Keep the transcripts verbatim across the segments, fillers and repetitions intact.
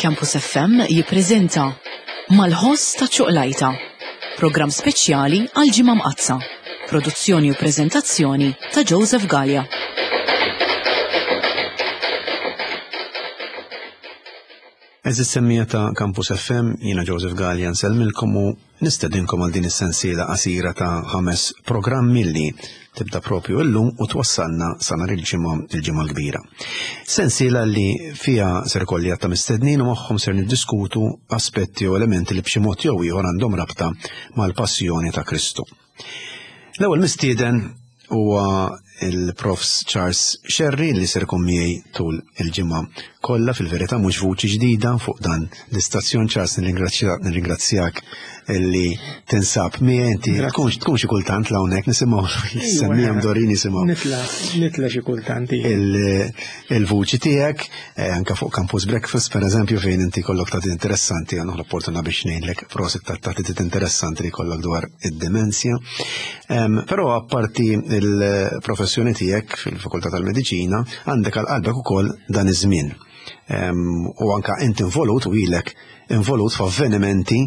Campus F M jippreżenta Mal-ħoss ta' ċuqlajta, programm speċjali għal Ġimgħa Mqaddsa, produzzjoni u preżentazzjoni ta' Joseph Galea. Eżis semmija ta' Campus F M, jiena Joseph Galea nsellmilkom u nistedinkom għal din is-sensiela qasira ta' ħames programmi li tibda propju illum u twassalna sa nhar il-ġimgħa, il-ġimgħa l-kbira. Sensiela li fiha ser ikolli għadd ta' mistednin u magħhom ser niddiskutu aspetti u elementi li b'xi mod jew ieħor għandhom rabta mal-passjoni ta' Kristu. L-ewwel mistieden huwa il-Profs Charles Scerri li ser ikun miegħi tul il-ġimgħa kollha, fil-verità mhux vuċi ġdida fuq dan l-istazzjon. Charles, nirringrazzja-, nirringrazzjak li tinsab miegħi. Inti Grazzi. tkun, tkun xi kultant hawnhekk nisimgħu Ejwa, semmija mdorin nisimgħu. Nitla, nitla xi kultant, iva. Il-, il-vuċi tiegħek, eh, anke fuq Campus Breakfast pereżempju, fejn inti kollok tagħti interessanti, għandna l-opportunità biex ngħidlek prosit ta' tagħti interessanti li kollok dwar id-demenzja. Em, però apparti il-professjoni tiegħek fil-Fakultà tal-Mediċina, għandek għal qalbek ukoll dan iż-żmien. Em, u anka inti involut u ilek involut f'avvenimenti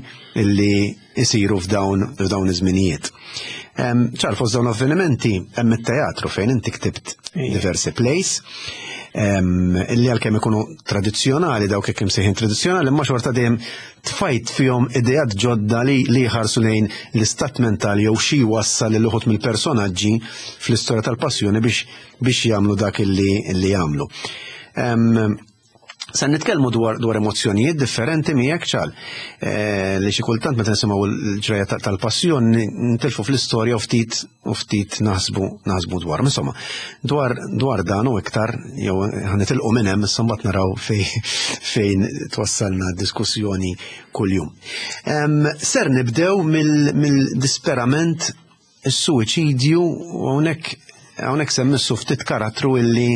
li jsiru f'dawn, f'dawn iż-żminijiet. Em, ċar, fost dawn avvenimenti hemm it-teatru fejn inti ktibt Ija. diversi plays, em, illi għalkemm ikunu tradizzjonali, dawk hekk imsejħin tradizzjonali, imma xorta dejjem tfajt fihom ideat ġodda li, li jħarsu lejn l-istat mentali jew xi jwassal lil uħud mill-personaġġi fl-istorja tal-passjoni biex, biex jagħmlu dak illi, illi jagħmlu. Em, Sa nitkellmu dwar, dwar emozzjonijiet differenti miegħek ċal. Eh, li xi kultant meta nisimgħu l-ġrajja ta-, tal-passjoni nitilfu fl-istorja u ftit, u ftit naħsbu, naħsbu dwar. Insomma, dwar, dwar dan u iktar jew ħanitilqu minn hemm, issa mbagħad naraw fej-, fejn twassalna diskussjoni kuljum. Em, ser nibdew mill-, mill-disperament, is-suwiċidju, u hawnhekk, hawnhekk semmissu ftit karattru illi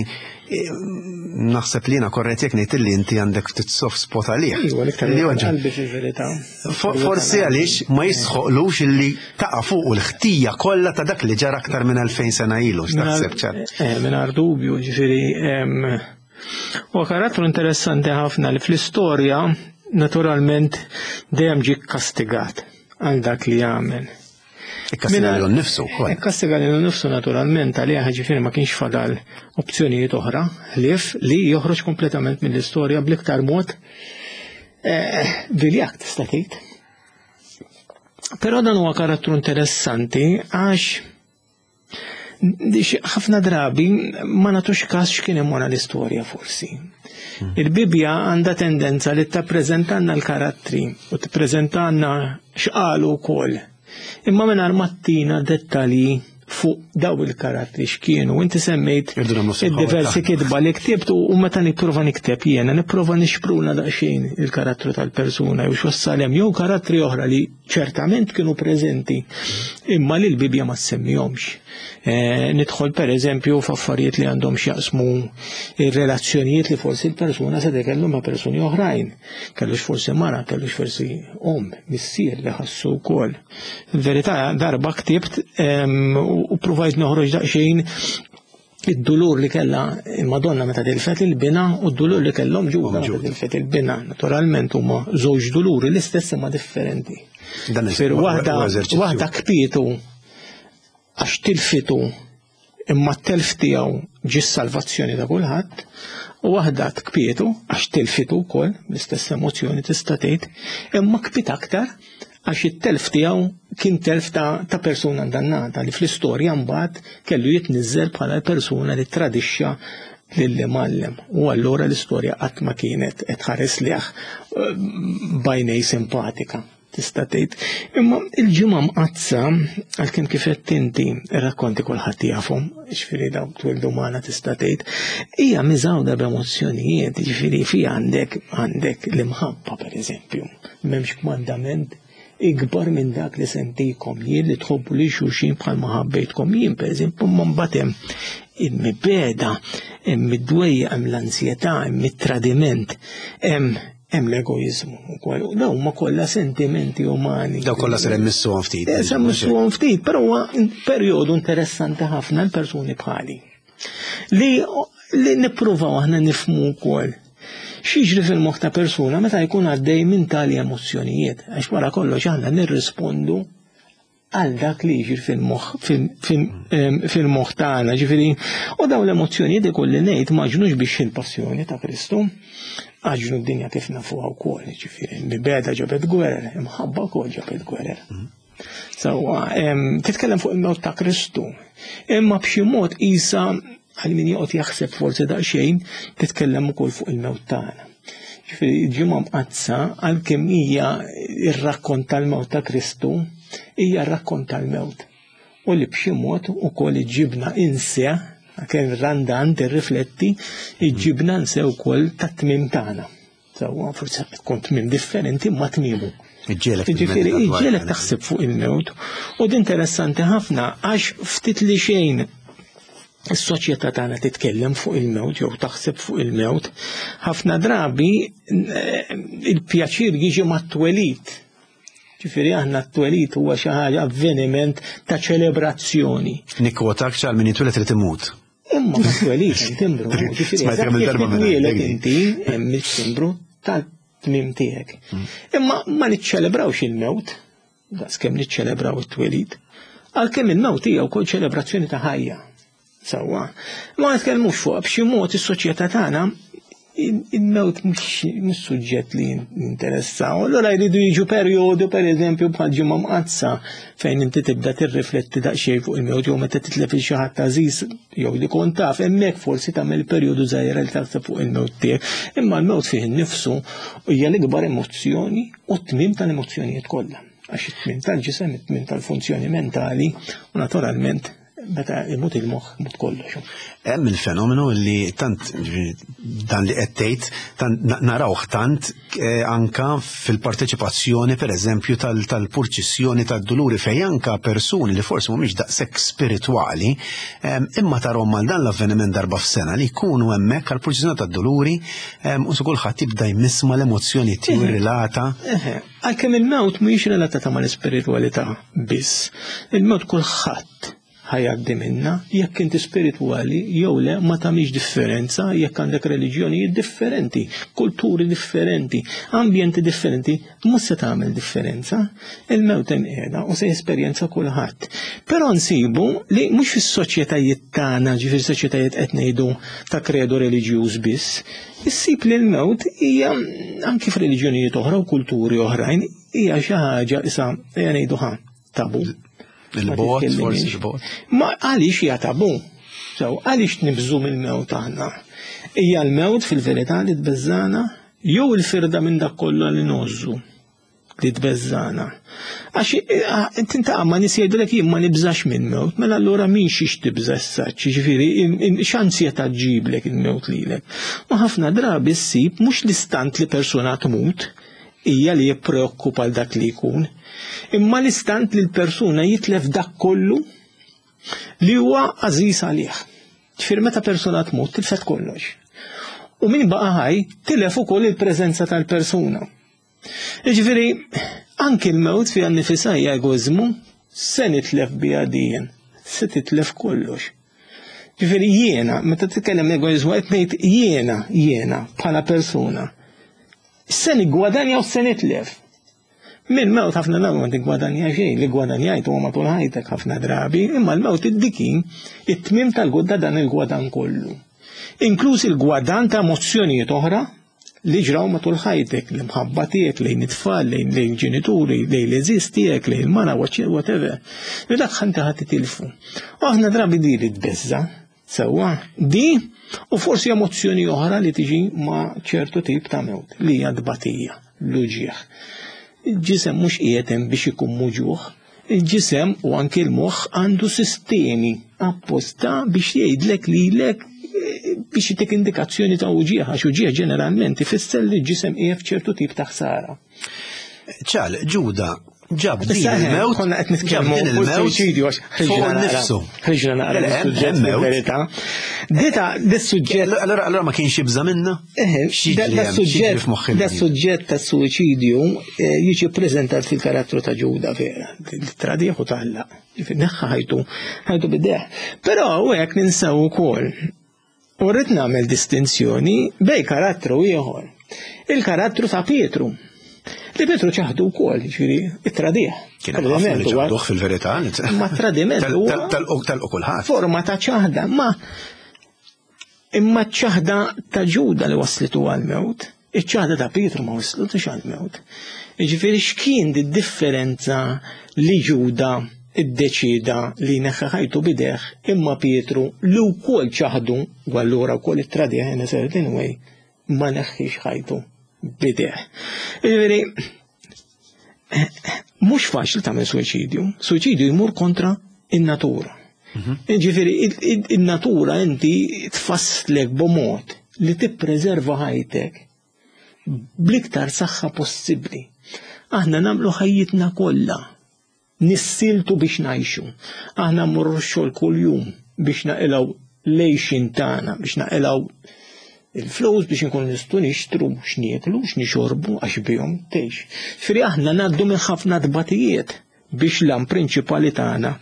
naħseb li jiena korrett jekk ngħid illi inti għandek ftit soft spot għalih. Iva, l-iktar Li huwa qalbi fil-verità. Fo-, forsi għaliex ma jisħoqlux illi taqa' fuq l-ħtija kollha ta' dak li ġara aktar minn elfejn sena ilu, x'taħseb ċar? Eh, mingħajr dubju, ġifieri, em, huwa karattru interessanti ħafna li fl-istorja naturalment dejjem ġie kkastigat għal dak li għamel. Ikkastiga Mina- lilu nnifsu wkoll. Ikkastiga lilu nnifsu naturalment għalih, ġifieri ma kienx fadal opzjonijiet oħra ħlief li joħroġ kompletament mill-istorja bl-iktar mod, eh, viljak tista' tgħid. Però dan huwa karattru interessanti għax ħafna drabi ma nagħtux każ x'kien hemm wara l-istorja forsi. Hmm. Il-Bibbja għandha tendenza li tippreżentanna l-karattri u tippreżentanna x'qalu wkoll. Imma mingħajr ma ttina dettalji fuq daw il-karattri x'kienu. Inti semmejt Irdu nagħmlu sħawa id-diversi tagħna. kitba li ktibt u meta nipprova nikteb jiena, nipprova nixpruna daqsxejn il-karattru tal-persuna jew x'wassal hemm, jew karattri oħra li ċertament kienu preżenti imma li l-Bibbja ma semmihomx. Eh, nidħol per eżempju f'affarijiet li għandhom x'jaqsmu ir-relazzjonijiet li forsi l-persuna se kellu ma' persuni oħrajn. Kellux forsi mara, kellux forsi om, missier li ħassu wkoll. Il-verità darba ktibt, em, u provajt noħroġ daqsxejn id-dulur li kellha il-Madonna meta tilfet il-bina u d-dulur li kellhom Ġuda meta Ġuda. tilfet il-bina. Naturalment huma żewġ duluri l-istess imma differenti. Dan Fir huwa waħda eżerċizzju. waħda kpietu għax tilfitu imma t-telf tiegħu ġie s-salvazzjoni ta' kulħadd, u waħda tkpietu għax tilfitu wkoll l-istess emozzjoni tista' tgħid, imma kpiet aktar għax it-telf tiegħu kien telf ta', ta' persuna ndannata li fl-istorja mbagħad kellu jitniżżel bħala persuna li tradixxa lill-imgħallem. U allura l-istorja qatt ma kienet qed tħares lih, eh, b'għajnej simpatika, tista' tgħid. Imma il-ġimgħa mqaddsa, għalkemm kif qed inti ir-rakkonti kulħadd jafhom, jiġifieri dawk twildu magħna tista' tgħid, hija miżgħuda b'emozzjonijiet, jiġifieri fiha għandek, għandek l-imħabba pereżempju. M'hemmx kmandament ikbar minn dak li sentikom jien li tħobbu li xulxin bħalma ħabbejtkom jien, pereżempju, imma mbagħad hemm il-mibeda, hemm id-dwejja, hemm l-ansjetà, hemm it-tradiment, hemm, hemm l-egoizmu wkoll. U dawn huma kollha sentimenti umani. Daw kollha ser immissuhom ftit. Eh, ser immissuhom ftit, però huwa perjodu interessanti ħafna l-persuni bħali. Li, li nippruvaw aħna nifhmu wkoll X'jiġri fil-moħħ ta' persuna meta jkun għaddej minn tali emozzjonijiet, għax wara kollox aħna nirrispondu għal dak li jiġri fil-moħħ fil-moħħ tagħna, ġifieri, u dawn l-emozzjonijiet ikolli ngħid ma ġnux biex il-passjoni ta' Kristu, għaġnu d-dinja kif nafuha wkoll, ġifieri, mibegħda ġabet gwerer, imħabba wkoll ġabet gwerer. Sewwa, titkellem fuq il-mewt ta' Kristu, imma b'xi mod isa għal min joqgħod jaħseb forsi daqsxejn titkellem ukoll fuq il-mewt tagħna. Ġifieri Ġimgħa Mqaddsa għalkemm hija r-rakkont tal-mewt ta' Kristu, hija r-rakkont tal-mewt. U li b'xi mod ukoll iġibna inse, għalkemm ir-Randan tirrifletti, iġibna nse wkoll tat-tmiem tagħna. Sewwa, forsi tkun tmiem differenti ma tmiemu. Iġġielek Ġifieri, timmedita dwar iġġielek dan. taħseb fuq il-mewt. U din interessanti ħafna għax ftit li xejn is-soċjetà tagħna titkellem fuq il-mewt jew taħseb fuq il-mewt, ħafna drabi eh, il-pjaċir jiġi mat-twelid. Ġifieri aħna t-twelid huwa xi ħaġa avveniment ta' ċelebrazzjoni. Nikkwotak ċal min jitwieled irid imut. Imma mat-twelid hemm timbru, ġifieri Smajt kemm il-darba jekk minn titwieled għandek. inti hemm it-timbru tal-tmiem tiegħek. Imma ma niċċelebrawx il-mewt, daqskemm niċċelebraw it-twelid, għalkemm il-mewt hija wkoll ċelebrazzjoni ta' ħajja. Sewwa. Ma nitkellmux fuq b'xi mod is-soċjetà tagħna il-mewt mhux suġġett li jinteressaw. Allura jridu jiġu perjodu, per eżempju, bħal Ġimgħa Mqaddsa fejn inti tibda tirrifletti daqsxejn fuq il-mewt jew meta titlef il xi ħadd għażiż jew li kont taf, hemmhekk forsi tagħmel perjodu żgħira li taħseb fuq il-mewt tiegħek. Imma l-mewt fih innifsu hija l-ikbar emozzjoni u t-tmiem tal-emozzjonijiet kollha. Għax it-tmiem tal-ġisem, it-tmiem tal-funzjoni mentali u naturalment meta imut il-moħħ imut kollox. Hemm il-fenomenu li tant dan li qed tgħid tant narawh tant eh, anka fil-parteċipazzjoni pereżempju tal-purċissjoni tad-duluri fejn anka persuni li forsi mhumiex daqshekk spiritwali imma tarhom mal dan l-avveniment darba f'sena li jkunu hemmhekk għall-purċissjoni tad-duluri u su kulħadd jibda jmiss mal-emozzjoni tiegħu relata. Għalkemm il-mewt mhijiex relatata mal-ispiritwalità biss. Il-mewt kulħadd ħa jgħaddi minna, jekk inti spiritwali jew le ma tagħmilx differenza, jekk għandek reliġjonijiet differenti, kulturi differenti, ambjenti differenti, mhux se tagħmel differenza. Il-mewt hemm qiegħda u se jesperjenza kulħadd. Però nsibu li mhux fis-soċjetajiet tagħna, ġifieri soċjetajiet qed ngħidu ta' kredo reliġjuż biss, issib li l-mewt hija anki f'reliġjonijiet oħra u kulturi oħrajn hija xi ħaġa issa ejja ngħidu ħa tabu. Il-bot, forsi il-bot. Ma għaliex hija tabu? So, għaliex nibżu mill-mewt aħna? Hija l-mewt fil-verità li tbeżżana jew il-firda minn dak kollu li ngħożżu li tbeżżana. Għax tintaqa' ma' nies jgħidulek jien ma nibżax minn mewt, mela allura min xiex tibża issa, ġifieri x'ansjetà ġġiblek il-mewt lilek. Ma ħafna drabi ssib mhux l-istant li persuna tmut hija li jippreokkupa l dak li jkun, imma l-istant li l-persuna jitlef dak kollu li huwa għażiż għalih. Ġifieri meta persuna tmut tilfet kollox. U min baqa' ħaj tilef ukoll il-preżenza tal-persuna. Ġifieri anki l-mewt fiha nnifisha hija egoiżmu, se nitlef biha dijien, se titlef kollox. Ġifieri jiena, meta titkellem egoiżmu qed ngħid jiena, jiena bħala persuna. Se niggwadanja u se nitlef. Mill-mewt ħafna drabi ma tiggwadanja xejn, li gwadanjajt huwa matul ħajtek ħafna drabi, imma l-mewt iddikin it-tmiem tal-gudda dan il-gwadan kollu. Inkluż il-gwadan ta' emozzjonijiet oħra li ġraw matul ħajtek, l-imħabba tiegħek lejn it-tfal, lejn lejn ġenituri, lejn l-għeżież tiegħek, lejn il-mara, whatever. Li dak ħanta ħadd titilfu. U aħna drabi di li tbeżza, sewwa, di u forsi emozzjoni oħra li tiġi ma' ċertu tip ta' mewt, li hija tbatija, l-uġieħ. Il-ġisem mhux qiegħed hemm biex ikun muġuħ, il-ġisem u anke l-moħħ għandu sistemi apposta biex jgħidlek lilek biex jitik indikazzjoni ta' uġieħ, għax uġieħ ġeneralment ifisser li l-ġisem qiegħed f'ċertu tip ta' ħsara. ċal, Ġuda, ġab din Issa, il-mewt, konna qed ġab nitkellmu din fuq il-mewt suwiċidju għax fuq ħriġna naqra. nifsu. Ħriġna naqra Le, mis-suġġett hemm mewt. fil-verità. Dita, dis-suġġett Allora, allora ma kienx jibża minna? Eh, X'jiġri da- da hemm? suġġett- X'jiġri f'moħħ Da il-bniedem? suġġett ta' suwiċidju eh, jiġi preżentat fil-karattru ta' Ġuda vera, tradiħu talla, neħħa ħajtu, ħajtu bideħ. Però u hekk ninsew ukoll. U rrid nagħmel distinzjoni bej karattru ieħor. Il-karattru ta' Pietru. Li Pietru ċaħdu wkoll, jiġifieri it-tradih. Kien hemm ħafna li ċaħduh fil-verità. Ma tradiment huwa Tal-u kulħadd. Forma ta' ċaħda, ma imma ċaħda ta' Ġuda li waslitu għal-mewt, iċ-ċaħda ta' Pietru ma waslitux għal-mewt. Jiġifieri x'kien di differenza li Ġuda iddeċida li neħħa ħajtu bideh imma Pietru li wkoll ċaħdu u allura wkoll it-tradih in a certain way ma neħħix ħajtu bideh. Jiġifieri mhux faċli tagħmel suwiċidju, suwiċidju jmur kontra in-natura. Jiġifieri in-natura inti tfasslek b'mod li tippreserva ħajtek bl-iktar saħħa possibbli. Aħna nagħmlu ħajjitna kollha nissiltu biex ngħixu. Aħna mmorru x-xogħol kuljum biex naqilgħu lejxin tagħna, biex naqilgħu il-flus biex nkunu nistgħu nixtru x'nieklu, x'nixorbu għax bihom tgħix. Ġifieri aħna ngħaddu minn ħafna tbatijiet biex l-għan prinċipali tagħna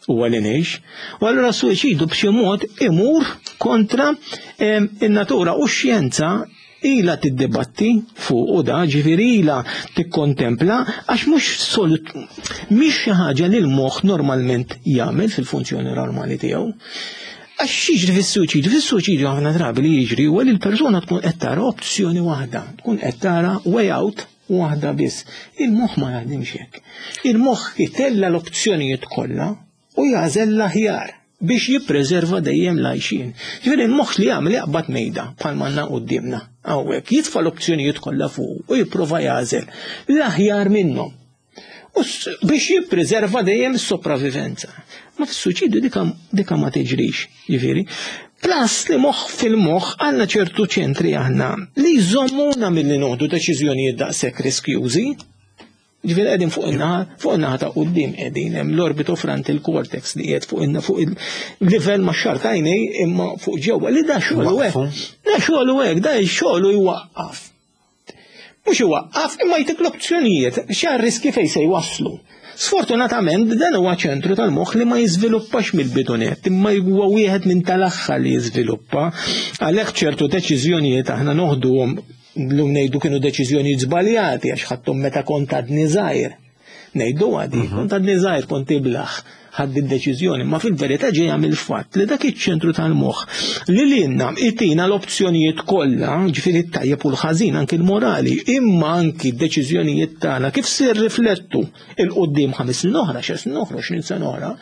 huwa li ngħix. U allura s-suwiċidu b'xi mod imur kontra in-natura u x-xjenza ila tiddibatti fuq u da, ġifieri ila tikkontempla għax mhux solut mhix xi ħaġa li l-moħħ normalment jagħmel fil-funzjoni normali tiegħu. Għax jiġri fis-suwiċidju, fis-suwiċidju ħafna drabi li jiġri huwa li l-persuna tkun qed tara opzjoni waħda, tkun qed tara way out waħda biss. Il-moħħ ma jaħdimx hekk. Il-moħħ itella l-opzjonijiet kollha u jagħżel l-aħjar biex jippreserva dejjem l-għajxien. Ġifieri l-moħħ li jagħmel jaqbad mejda bħal m'għandna quddiemna hawnhekk, jitfa' l-opzjonijiet kollha fuq u jipprova jagħżel l-aħjar minnhom. U biex jippreserva dejjem is-sopravivenza. Ma fis-suwiċidju dika, dika ma tiġrix, ġifieri. Plus li moħħ fil-moħħ għandna ċertu ċentri aħna li jżommuna milli noħdu deċiżjonijiet daqshekk riskjużi. Ġifieri qegħdin fuq in-naħa, fuq in-naħa ta' quddiem qegħdin hemm l-orbitofrontal cortex li qiegħed fuq in fuq il-livell ma' xar tajnej imma fuq ġewwa li da xogħlu hekk. Da xogħlu hekk, da xogħlu jwaqqaf. Mhux iwaqqaf imma jtik l-opzjonijiet x'għar riski fejn se jwasslu. Sfortunatament dan huwa ċentru tal-moħħ li ma jiżviluppax mill-bidunet, imma huwa wieħed minn tal-aħħar li jiżviluppa. Għalhekk ċertu deċiżjonijiet aħna noħduhom llum ngħidu kienu deċiżjonijiet żbaljati għax ħadthom meta kont għadni żgħir. Ngħidu għadi, kont għadni żgħir, kont iblaħ, ħadd id-deċiżjoni, ma fil-verità ġejja mill-fatt li dak iċ-ċentru tal-moħħ li lilna itina l-opzjonijiet kollha, ġifieri t-tajjeb u l-ħażin, anki l-morali, imma anki d-deċiżjonijiet tagħna kif se rriflettu il-qudiem ħames snin oħra, xi snin oħra, x'nin sena oħra,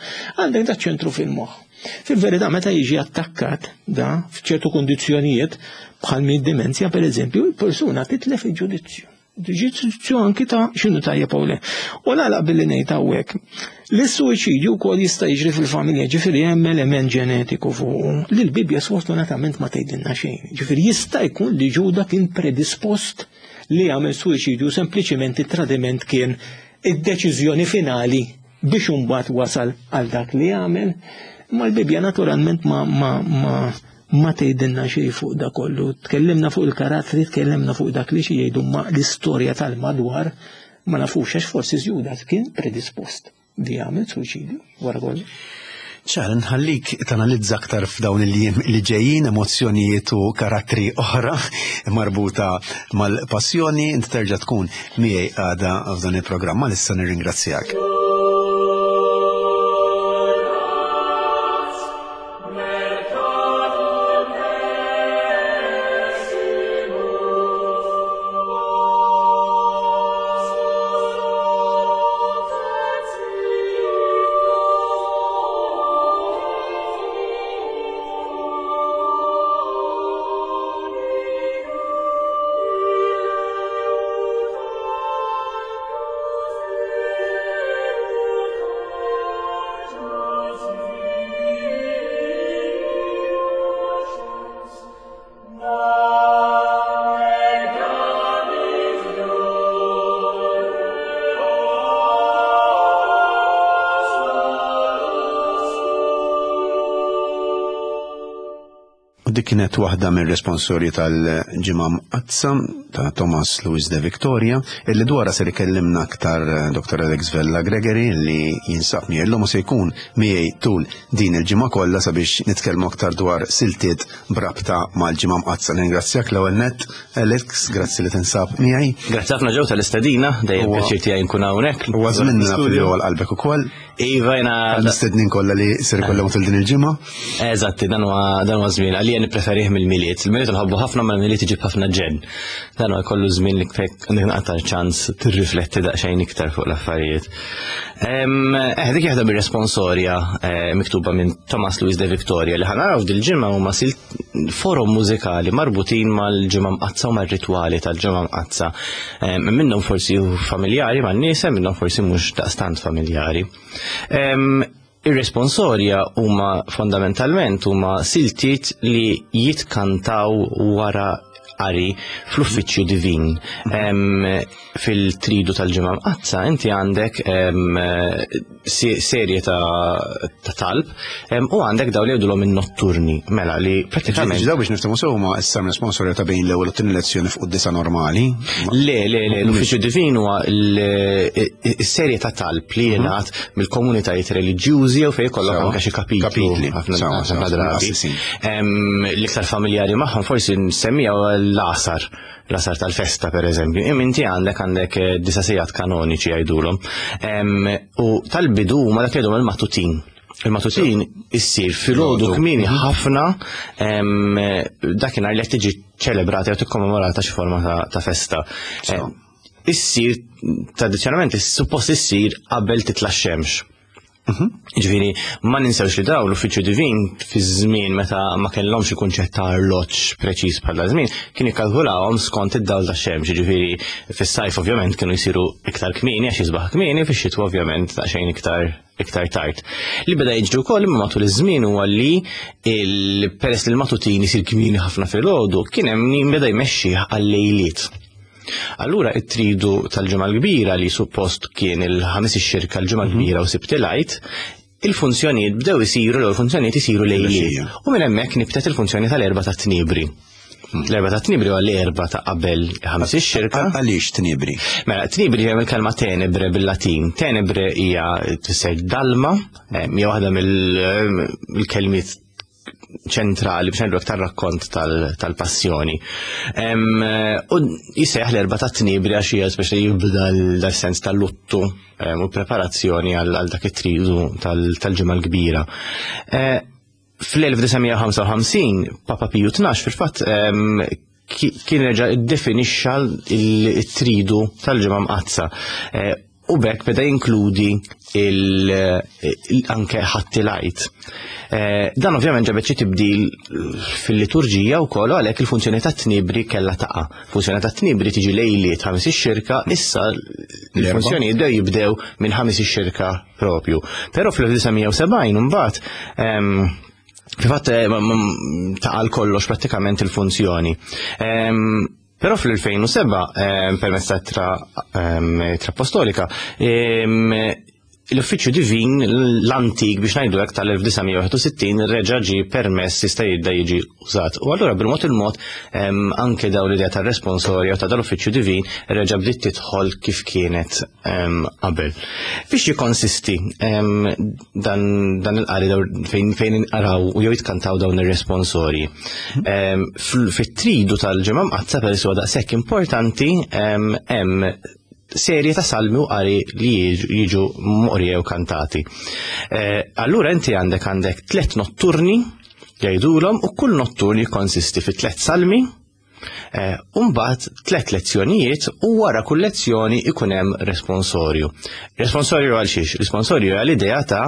għandek dak ċentru fil-moħħ. Fil-verità meta jiġi attakkat da f'ċertu kundizzjonijiet bħal minn demenzja pereżempju, il-persuna titlef il-ġudizzju. Ġudizzju anki ta' x'inhu tajjeb u le. U nagħlaq billi ngħid hawnhekk. Li s-suwiċidju wkoll jista' jiġri fil-familja, ġifieri hemm element ġenetiku fuq li l-Bibbja sfortunatament ma tgħidilna xejn. Ġifieri jista' jkun li Ġuda kien predispost li jagħmel suwiċidju, sempliċiment it-tradiment kien id-deċiżjoni finali biex imbagħad wasal għal dak li jagħmel. Ma l-Bibbja naturalment ma ma ma ma tgħidilna xejn fuq da kollu. Tkellimna fuq il-karattri, tkellimna fuq dak li xi jgħidu, ma l-istorja tal-madwar ma nafux għax forsi Ġuda kien predispost li jagħmel suwiċidju wara kollu. Ċar, nħallik tanalizza aktar f'dawn il-jiem li ġejjin emozzjonijiet u karattri oħra marbuta mal-passjoni, inti terġa' tkun miegħi għada f'dan il-programm, issa nirringrazzjak. Dik kienet waħda mir-responsorji tal-Ġimgħa Mqaddsa ta' Thomas Louis de Victoria, illi dwarha ser ikellimna aktar Dottor Alex Vella Gregory, li jinsab miegħi llum u se jkun miegħi tul din il-ġimgħa kollha sabiex nitkellmu aktar dwar siltiet brabta mal-Ġimgħa Mqaddsa. Ningrazzjak l-ewwel nett, Alex, grazzi li tinsab miegħi. Grazzi ħafna ġew tal-istedina, dejjem pjaċir tiegħi nkun hawnhekk. Huwa żmien naf li huwa qalbek ukoll. Iva, jiena Għal-mistednin kollha li ser ikollhom tul din il-ġimgħa. Eżatti, dan huwa dan huwa żmien għalija nippreferih mill-Milied. Il-Milied nħobbu ħafna, ma l-Milied iġib ħafna ġenn. Dan huwa kollu żmien li fek naqta ċans tirrifletti daqsxejn iktar fuq l-affarijiet. Eh, dik waħda bir-responsorja eh, miktuba minn Thomas Louis de Victoria li ħa naraw dil-ġimgħa huma forom mużikali marbutin mal-Ġimgħa Mqaddsa u mar-ritwali tal-Ġimgħa Mqaddsa. Minnhom forsi familjari man-nies, minnhom forsi mhux daqstant familjari. Ir-responsorja huma fondamentalment huma siltiet li jitkantaw wara qari fl-uffiċċju divin. Fil-tridu tal-Ġimgħa Mqaddsa inti għandek serje ta' talb u għandek daw li jgħidulhom in-notturni, mela li prattikament. Daw biex niftehmu sew huma issa responsorja ta' bejn l-ewwel u t-tieni lezzjoni fuq disa normali. Le, le, le, l-uffiċċju divin huwa s-serje ta' talb li jingħad mill-komunitajiet reliġjużi jew fejn jkollok anke xi kapitli ħafna drabi. L-iktar familjari magħhom forsi nsemmija l-għasar, l-għasar tal-festa per eżempju. Inti għandek għandek disa sigħat kanoniċi jgħidulhom. U tal-bidu ma dak jgħidulhom il-matutin. Il-matutin issir filgħodu kmieni ħafna dakinhar li qed tiġi ċelebrata jew tikkommemorata xi forma ta' festa. Issir tradizzjonalment suppost issir qabel titla' x-xemx. Ġifieri, ma ninsewx li daw l-uffiċċju divin fi żmien meta ma kellhomx kunċett ta' arloġġ preċiż bħala żmien, kien jikkalkulawhom skont id-dawl tax-xemx. Ġifieri, fis-sajf ovvjament kienu jsiru iktar kmieni għax jisbaħ kmieni, fix-xitwa ovvjament daqsxejn iktar iktar tard. Li beda jiġri wkoll imma matul iż-żmien huwa li peress li l-matutin isir kmieni ħafna filgħodu, kien hemm min beda jmexxi għal-lejliet. Allura it-tridu tal-Ġimgħa l-Kbira li suppost kien il-ħamis ix-xirka l-Ġimgħa l-Kbira u Sibt il-Għid, il-funzjonijiet bdew isiru l funzjonijiet isiru lejliet. U minn hemmhekk nibtet il-funzjoni tal-erba' ta' tnibri. L-erba' ta' tnibri huwa l-erba' ta' qabel ħamis ix-xirka. Għaliex tnibri? Mela, tnibri hija mill-kelma tenebre bil-Latin. Tenebre hija tfisser dalma, hija waħda mill-kelmiet ċentrali biex ngħidu aktar rakkont tal-passjoni. U jisejjaħ l-erba' ta' tnibri għax hija speċi jibda dal-sens tal-luttu u preparazzjoni għal dak it-tridu tal-Ġimgħa l-Kbira. fl-elf disa' mija u ħamsa u ħamsin Papa Piju tnax fil-fatt kien reġa' iddefinixxa il-tridu tal-Ġimgħa Mqaddsa. U bekk beda jinkludi anke Ħadd il-Għid. Dan ovvjament ġabet xi tibdil fil-liturġija wkoll, għalhekk il-funzjoni tat-tnibri kellha taqa'. Funzjoni tat-tnibri tiġi lejliet ħames ix-xirka, issa l-funzjoni jibdew jibdew minn ħames ix-xirka propju. Però fl-elf disa' mija u sebgħin imbagħad fil-fatt taqa' kollox prattikament il-funzjoni. Però fl-elfejn u seba', permezz ta' tra, tra apostolika, l-uffiċċju divin l-antik biex ngħidu hekk tal-elf disa' mija u wieħed u sittin reġa' ġie permess jista' jibda jiġi użat. U allura bil-mod il-mod anke dawn l-idea tar-responsorja u ta' dal-uffiċċju divin reġa' bdiet tidħol kif kienet qabel. Fiex jikkonsisti dan, dan il-qari fejn, fejn inqaraw u jew jitkantaw dawn ir-responsorji. Fit-tridu tal-Ġimgħa Mqaddsa peress huwa daqshekk importanti hemm serje ta' salmi u qari li jiġu moqrija u kantati. Allura inti għandek, għandek tliet notturni jgħidulhom u kull notturni jikkonsisti fi tliet salmi, u mbagħad tliet lezzjonijiet u wara kull lezzjoni ikun hemm responsorju. Responsorju għal xiex? Responsorju għal idea ta'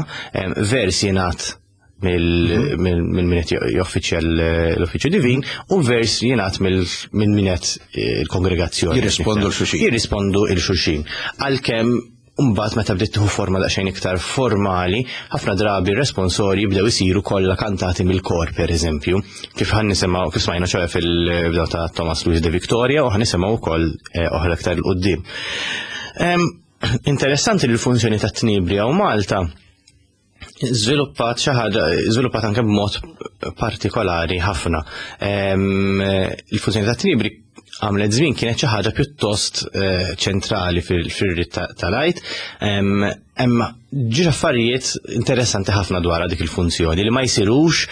vers jingħad mill-, mill-, mill min qed joffiċja l-uffiċċju divin u vers jingħad mill-, minn min qed il-kongregazzjoni. Jirrispondu l-xulxin. Jirrispondu l-xulxin. Għalkemm mbagħad meta bdiet tieħu forma daqsxejn iktar formali, ħafna drabi r-responsorji bdew isiru kollha kantati mill-kor, pereżempju, kif ħan nisimgħu, kif smajna ċoħe fil-bdew ta' Thomas Louis de Victoria u ħan nisimgħu wkoll, eh, oħra iktar 'il quddiem. Em, interessanti li l-funzjoni ta' tnibri hawn Malta Żviluppat xi ħaġa, żviluppat anke b'mod partikolari ħafna. Il-funzjoni ta' tniebri għamlet żmien kienet xi ħaġa pjuttost eh, ċentrali fil-rit tal-Għid. Hemm ġiex affarijiet interessanti ħafna dwar dik il-funzjoni li ma jsirux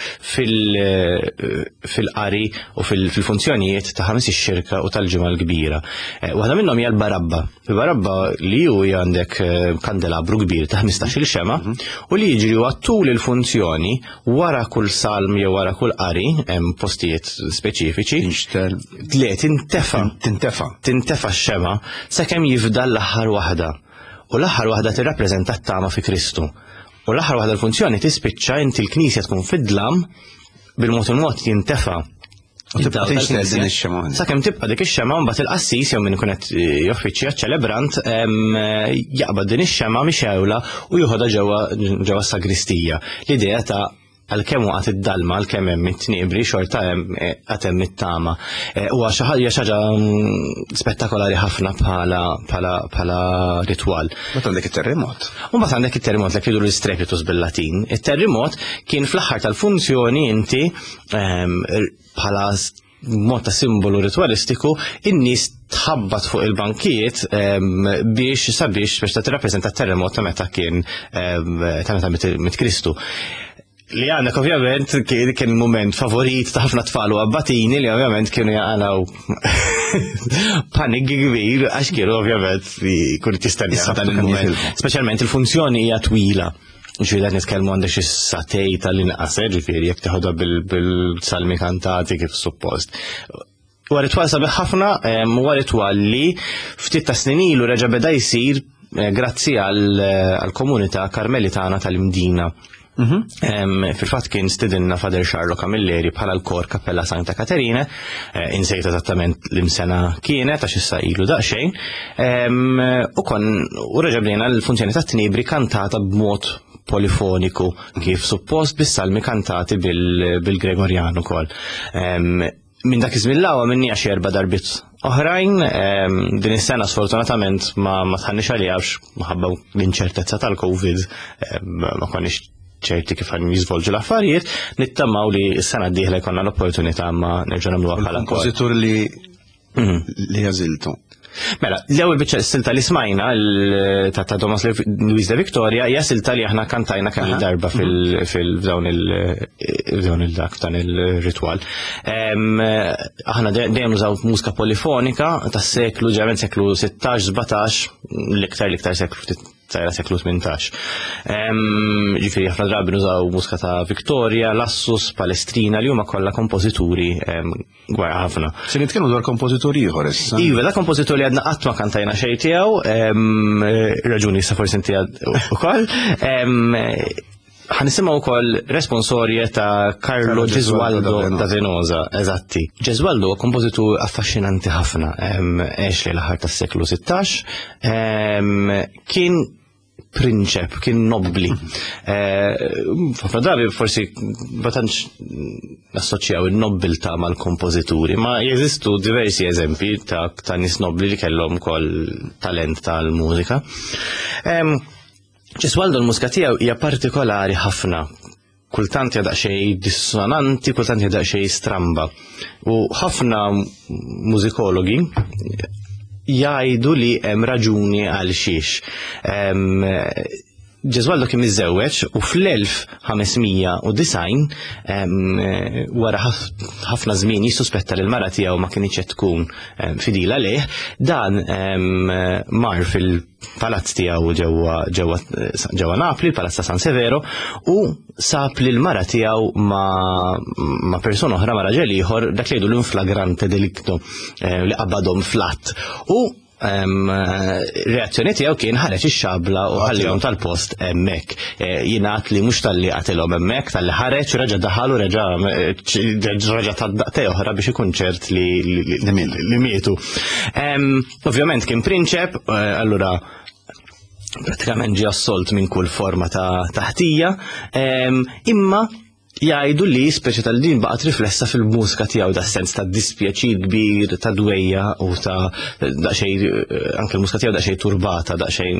fil-qari u fil-funzjonijiet ta' Ħamis ix-Xirka u tal-Ġimgħa l-Kbira. Eh, waħda minnhom hija l-barabba. Il-barabba li hu għandek eh, kandelabru kbir ta' ħmistax-il xema u li jiġri huwa tul il-funzjoni, wara kull salm jew wara kull qari, hemm postijiet speċifiċi. Tinxtel. Le, tintefa. Tintefa. Tintefa x-xema sakemm jifdal l-aħħar waħda. U l-aħħar waħda tirrappreżenta t-tama fi Kristu. U l-aħħar waħda, l-funzjoni tispiċċa, inti l-knisja tkun fid-dlam, bil-mod il-mod jintefa. U tibqa' tinxtel din ix-xema. Sakemm tibqa' dik ix-xema, mbagħad il-qassis jew min ikun qed joffiċja, ċelebrant, jaqbad din ix-xema mixewla u joħodha ġewwa ġewwa s-sagristija. L-idea ta' għalkemm waqgħet id-dalma, għalkemm hemm it-tniebri, xorta hemm għad hemm it-tama. Huwa xi ħaġa xi ħaġa mm, spettakolari ħafna bħala bħala bħala ritwal. Mbagħad għandek it-terremot. U mbagħad għandek it-terremot li jgħidu l-strepitus bil-Latin. Il-terremot kien fl-aħħar tal-funzjoni, inti ehm, bħala mod ta' simbolu ritualistiku, in-nies tħabbat fuq il-bankijiet ehm, biex sabiex biex ta' tirrappreżenta terremot ta' meta kien ehm, ta' meta mit mit Kristu. Li għandek ovvjament kien kien moment favorit ta' ħafna tfal u abbatini li ovvjament kienu jaqalaw panik kbir għax kienu ovvjament kun tistenna Issa dan kemm il-moment. jitilqu. Speċjalment il-funzjoni hija twila. Ġifieri qed nitkellmu għandek xi sagħtejn tal-inqas, eh, ġifieri jekk teħodha bil-salmi kantati kif suppost. Huwa ritwal sabiħ ħafna, em, huwa ritwal li ftit ta' snin ilu reġa' beda jsir eh, grazzi għall-komunità Karmelitana tal-Imdina. Em, Fil-fatt kien stidinna Father Charlo Camilleri bħala l-kor Cappella Santa Caterina, eh, insejt eżattament l-imsena kienet, għax issa ilu daqsxejn, Em, u kon u reġa' bdejna l-funzjoni ta' tnibri kantata b'mod polifoniku kif suppost, bis-salmi kantati bil- bil-Gregorjan ukoll. Em, Minn dak iż-żmien lawa minni għax erba' darbiet oħrajn, em, din is-sena sfortunatament ma ma tħannix għalija għax minħabba l-inċertezza tal-Covid em, ma konniex ċerti kif għan jiżvolġu l-affarijiet, nittamaw li s-sena d-dieħla jkollna l-opportunità ma nerġgħu nagħmluha bħala kor. Kompożitur li li għażiltu. Mela, l-ewwel biċċa silta li smajna l- ta' ta' Thomas Luis de Victoria hija silta li aħna kantajna kemm darba fil fil-dawn il f'dawn il-dak dan il-ritwal. Em, Aħna de- dejjem nużaw mużika polifonika tas-seklu, ġeneralment seklu sittax, sbatax, l-iktar l-iktar seklu ftit sajra seklu tmintax. Em, Ġifieri ħafna drabi nużaw mużika ta' Victoria, Lassus, Palestrina, li huma kollha kompożituri em, gwar ħafna. Se nitkellmu dwar kompożitur ieħor issa. Iva, da kompożitur li għadna qatt ma kantajna xejn tiegħu, em, raġuni sa forsi inti għad ukoll. Em, Ħa nisimgħu wkoll responsorje ta' Carlo Carlo Gesualdo Gesualdo da Venosa, eżatti. Gesualdo huwa kompożitur affaxxinanti ħafna, em, għex li l-aħħar tas-seklu sittax, em, kien prinċep, kien nobli. Eh, Ħafna drabi forsi ma tantx nassoċjaw il-nobbiltà mal-kompożituri, ma jeżistu diversi eżempi ta' ta' nies nobli li kellhom ukoll talent tal-mużika. Em, Gesualdo, l-mużika tiegħu hija partikolari ħafna. Kultant hija daqsxejn dissonanti, kultant hija daqsxejn stramba. U ħafna mużikologi jgħidu li hemm raġuni għal xiex. Em, Gesualdo kien miżżewweġ u fl-elf ħames mija u disgħin, em, wara ħaf- ħafna żmien jissuspetta li l-mara tiegħu ma kienx qed tkun em, fidila lejh, dan em, mar fil-palazz tiegħu ġewwa ġewwa ġewwa Napli, il-Palazz ta' San Severo, u sab li l-mara tiegħu ma, ma persuna oħra, ma raġel ieħor, dak li jgħidu l-in flagrante delicto, eh, li qabadhom fl-att. U em, reazzjoni tiegħu kien ħareġ ix-xabla u ħallihom tal-post hemmhekk. Eh, Jingħad li mhux talli qatilhom hemmhekk, talli ħareġ u reġa' daħal u reġa' reġa' ta daqtej oħra biex ikun ċert li li- li li mietu. Em, Ovvjament kien prinċep, eh, allura pratikament ġie assolt minn kull forma ta' taħtija, em, imma Jgħidu li speċi tal-din baqgħet riflessa fil-mużika tiegħu da sens ta' dispjaċir kbir, ta' dwejja u ta' daqsxejn anke l-mużika tiegħu daqsxejn turbata, daqsxejn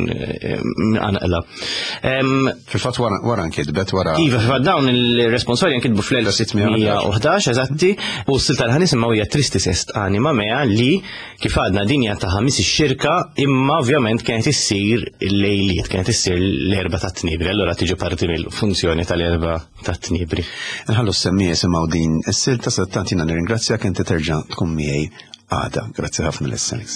mqanqla. Fil-fatt wara nkitbet wara. Iva, fil-fatt dawn il-responsorji nkitbu fl-elf sitt mija u ħdax eżatti, u s-silta li ħanisimgħu hija Tristis est anima mea li kif għadna din hija ta' ħamis ix-xirka, imma ovvjament kienet issir il-lejliet, kienet issir l-erba' tat-tnibri, allura tiġi parti mill-funzjoni tal-erba' tat-tnibri. Nħallu s-semmi jisimgħu din is-silta, sattant jiena nirringrazzjak inti terġa' tkun miegħi għada. Grazzi ħafna lis-Alex.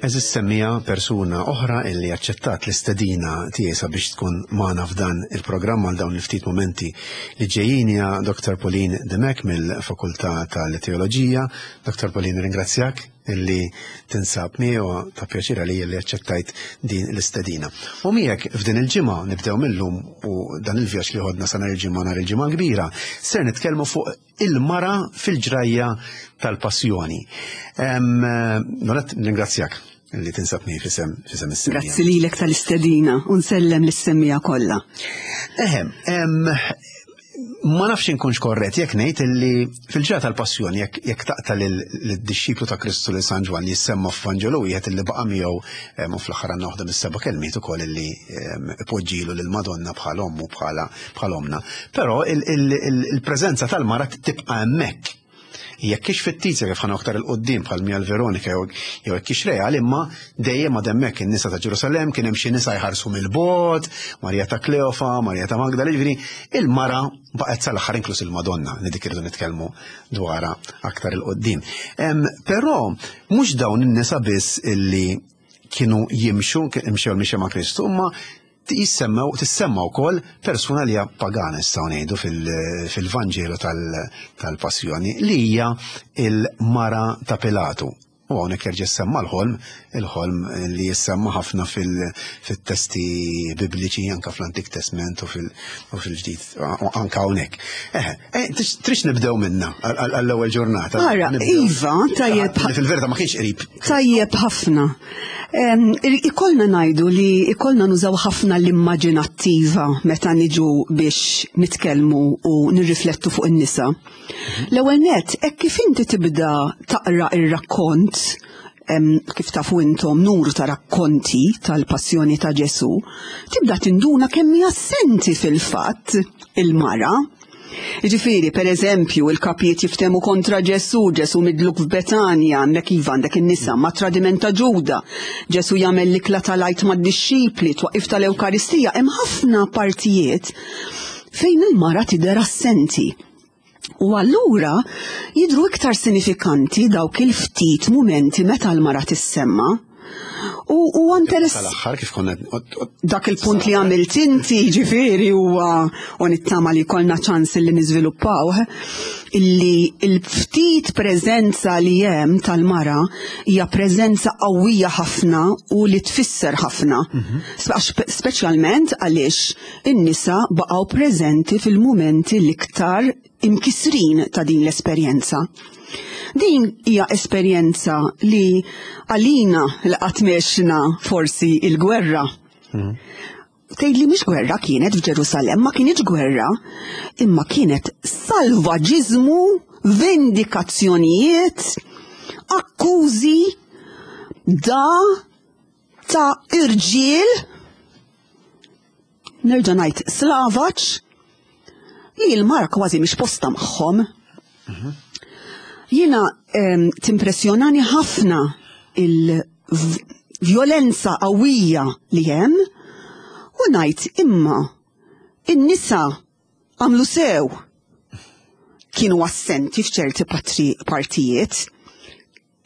Eżis semmija persuna oħra illi aċċettat l-istedina tiegħi sabiex tkun magħna f'dan il-programm għal dawn il-ftit momenti li ġejjin hija Doktor Pauline Dimech mill-Fakultà tal-Teoloġija. Doktor Pauline, ringrazzjak illi tinsab miegħi u ta' pjaċir għalija li aċċettajt din l-istedina. U miegħek f'din il-ġimgħa nibdew millum u dan il-vjaġġ li ħodna sa nhar il-ġimgħa nhar il-ġimgħa kbira, ser nitkellmu fuq il-mara fil-ġrajja tal-passjoni. Nolet, ringrazzjak li tinsab miegħi f'isem f'isem is-semmija. Grazzi lilek tal-istedina u nsellem lis-semmija kollha. Eħe, ma nafx inkunx korrett jekk ngħid illi fil-ġrajja tal-passjoni jekk jekk taqta lid-dixxiplu ta' Kristu lil San Ġwann jissemma f'Vanġelu wieħed illi baqa' miegħu u fl-aħħar għandna waħda mis-seba' kelmiet ukoll illi ipoġġilu lil Madonna bħal ommu bħala bħal omna. Però il-preżenza tal-mara tibqa' hemmhekk. Jekk hix fittizja kif ħana aktar il-qoddim bħal Mia l-Veronika jew jekk hix reali, imma dejjem għad hemmhekk in-nisa ta' Ġerusalemm kien hemm xi nisa jħarsu mill-bogħod, Marija ta' Kleofa, Marija ta' Magdala, jiġifieri il-mara baqgħet sal-aħħar inkluż il-Madonna li dik irridu nitkellmu dwarha aktar il-qoddim. Però mhux dawn in-nisa biss illi kienu jimxu, imxew il-mixja ma' Kristu, imma tissemma tissemma wkoll persuna li hija pagana nistgħu ngħidu fil-Vanġelu tal-Passjoni li hija il-mara ta' Pilatu. U hawnhekk jerġa' jissemma l-ħolm, il-ħolm li jissemma ħafna fil-testi bibliċi anke fl-Antik Testament u fil-Ġdid, anke hawnhekk. Eħe, trix nibdew minna għall-ewwel ġurnata. Ara, iva, tajjeb. Fil-verità ma kienx qrib. Tajjeb ħafna. Ikollna ngħidu li ikollna nużaw ħafna l-immaġinattiva meta niġu biex nitkellmu u nirriflettu fuq in-nisa. L-ewwel nett, hekk kif inti tibda taqra ir-rakkont, kif tafu intom numru ta' rakkonti tal-passjoni ta' Ġesu, tibda tinduna kemm hija assenti fil-fatt il-mara. Jiġifieri, per eżempju, il-kapijiet jiftemu kontra Ġesu, Ġesu midluk f'Betanja, hemmhekk iva għandek in-nisa, ma' tradiment ta' Ġuda, Ġesu jagħmel l-ikla tal-Għid mad-dixxipli, twaqif tal-Ewkaristija, hemm ħafna partijiet fejn il-mara tidher assenti. U allura jidhru iktar sinifikanti dawk il-ftit mumenti meta l-mara tissemma. U huwa interess. Tal-aħħar kif konna dak il-punt li għamilt inti, ġifieri huwa u nittama li jkollna ċans li niżviluppaw, illi l-ftit preżenza li hemm tal-mara hija preżenza qawwija ħafna u li tfisser ħafna. Speċjalment għaliex in-nisa baqgħu preżenti fil-mumenti l-iktar imkisrin ta' din l-esperjenza. Din hija esperjenza li għalina li qatt mexna forsi il-gwerra. Mhm. Tgħid li mhix gwerra kienet f'Ġerusalemm, ma kienx gwerra, imma kienet salvaġiżmu, vendikazzjonijiet, akkużi da ta' irġiel, nerġa' ngħid slavaġ, li l-mara kważi mhix posta magħhom. Jiena em, timpressjonani ħafna il-vjolenza qawwija li hemm u ngħid imma in-nisa għamlu sew kienu assenti f'ċerti patri- partijiet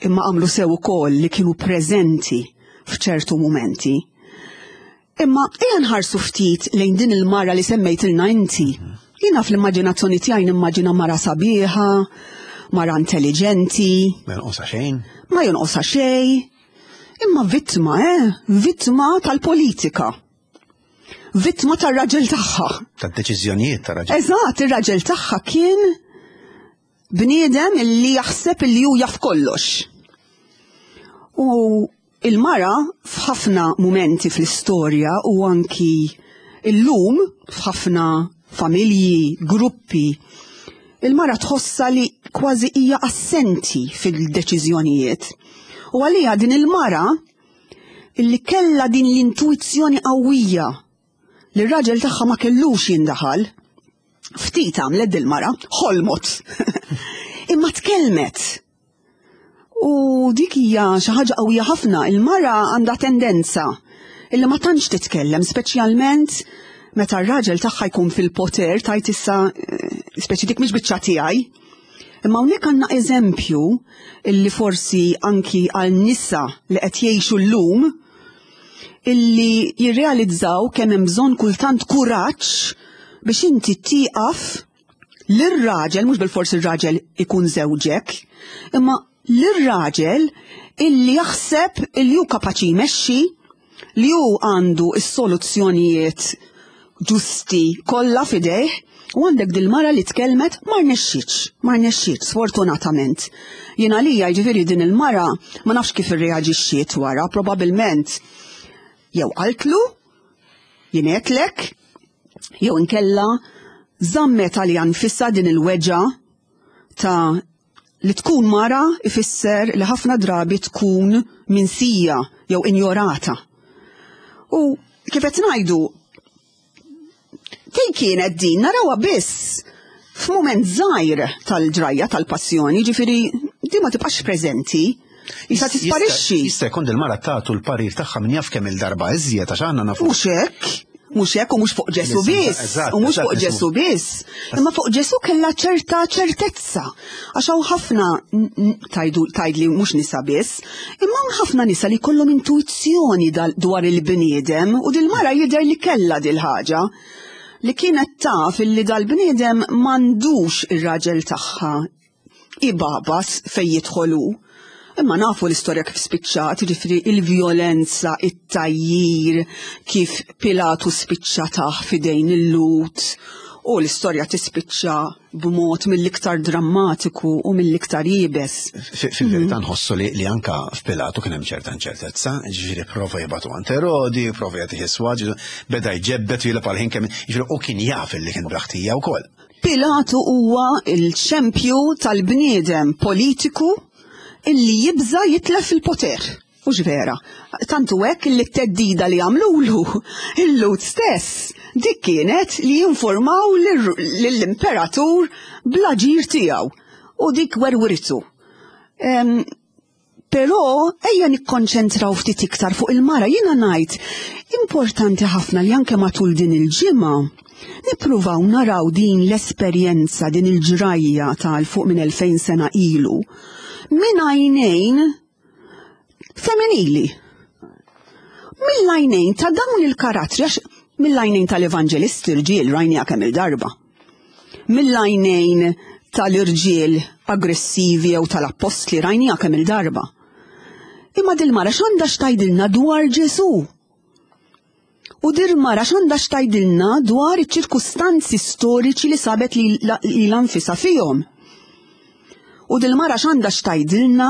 imma għamlu sew ukoll li kienu preżenti f'ċertu mumenti. Imma ejja nħarsu ftit lejn din il-mara li semmejtilna inti. Jiena fl-immaġinazzjoni tiegħi nimmaġina mara sabiħa, mara intelligenti, Ma jonqosha xejn. ma jonqosha xejn. Imma vittma, eh? Vittma tal-politika. Vittma tar-raġel tagħha. Tad-deċiżjonijiet ta' raġel. Eżatt, ir-raġel tagħha kien bniedem illi jaħseb illi hu jaf kollox. U il-mara f'ħafna mumenti fl-istorja u anki illum f'ħafna familji, gruppi, il-mara tħossa li kważi hija assenti fil-deċiżjonijiet. U għalija din il-mara illi kella din l-intuizzjoni qawwija li r-raġel tagħha ma kellux jindaħal, ftit għamlet dil-mara, ħolmot. Imma tkellmet. U dik hija xi ħaġa qawwija ħafna, il-mara għandha tendenza illi ma tantx titkellem, speċjalment meta r-raġel tagħha jkun fil-poter tajt issa eh, speċi dik mhix biċċa tiegħi. Imma hawnhekk għandna eżempju illi forsi anki għal nisa li qed jgħixu llum illi jirrealizzaw kemm hemm bżonn kultant kuraġġ biex inti tieqaf lir-raġel, mhux bil-fors ir-raġel ikun żewġek, imma lir-raġel illi jaħseb illi hu kapaċi jmexxi, li hu għandu s-soluzzjonijiet ġusti kollha f'idejh, u għandek dil-mara li tkellmet ma rnexxietx, ma rnexxietx, sfortunatament. Jien għalija jiġifieri din il-mara ma nafx kif irreaġixxiet wara, probabbilment jew qaltlu, jien għedtlek, jew inkella żammet għalija nfisha din il-weġa ta' li tkun mara ifisser li ħafna drabi tkun minsija jew injorata. U kif qed ngħidu, fejn kienet din narawha biss f'mument żgħir tal-ġrajja tal-passjoni, ġifieri di ma tibqax preżenti, jista' tisparixxi. Jista' jkun dil-mara tagħtu l-parir tagħha min jaf kemm il-darba iżjed għax għandna nafu. Mhux hekk, mhux hekk u mhux fuq Ġesu Eżatt, biss, eżatt, u mhux fuq eżatt, Ġesu biss. Imma fuq Ġesu kellha ċerta ċertezza. Għax hawn ħafna n- n- tajdu tgħidli mhux nisa biss, imma hawn ħafna nisa li kollhom intuizzjoni dal- dwar il-bniedem u dil-mara jidher li kellha dil-ħaġa li kienet taf illi dal-bniedem m'għandux ir-raġel tagħha ibabas fej jidħolu. Imma nafu l-istorja kif spiċċat, jiġifieri il-vjolenza, it-tajjir, kif Pilatu spiċċa taħ f'idejn il-Lhud, u l-istorja tispiċċa b'mod mill-iktar drammatiku u mill-iktar iebes. Fi- Fil-verità nħossu li, li anka f'Pilatu kien hemm ċerta inċertezza, ġifieri prova jibgħatu għand Erodi, prova jagħtih iswad, beda jġebbet u jilgħab għal ħin kemm, ġifieri u kien jaf li kien bla ħtija wkoll. Pilatu huwa il-xempju tal-bniedem politiku illi jibża jitlef il-poter. Ux vera, tantu hekk li t-teddida li għamlulu il-Lhud stess, dik kienet li jinformaw lill-imperatur bl-aġir tiegħu u dik werwritu. Em, Però ejja nikkonċentraw ftit iktar fuq il-mara, jiena ngħid importanti ħafna li anke matul din il-ġimgħa nippruvaw naraw din l-esperjenza, din il-ġrajja tal fuq minn elfejn sena ilu minn għajnejn femminili. Mill-għajnejn ta' dawn il-karattri, għax mill-għajnejn tal-evanġelisti rġiel rajnija kemm il-darba. Mill-għajnejn tal-irġiel aggressivi jew tal-appostli rajnija kemm il-darba. Imma dil-mara x'għandha x'tgħidilna dwar Ġesu? U dil-mara x'għandha x'tgħidilna dwar iċ-ċirkustanzi storiċi li sabet li lilha nfisha fihom. U dil-mara x'għandha x'tgħidilna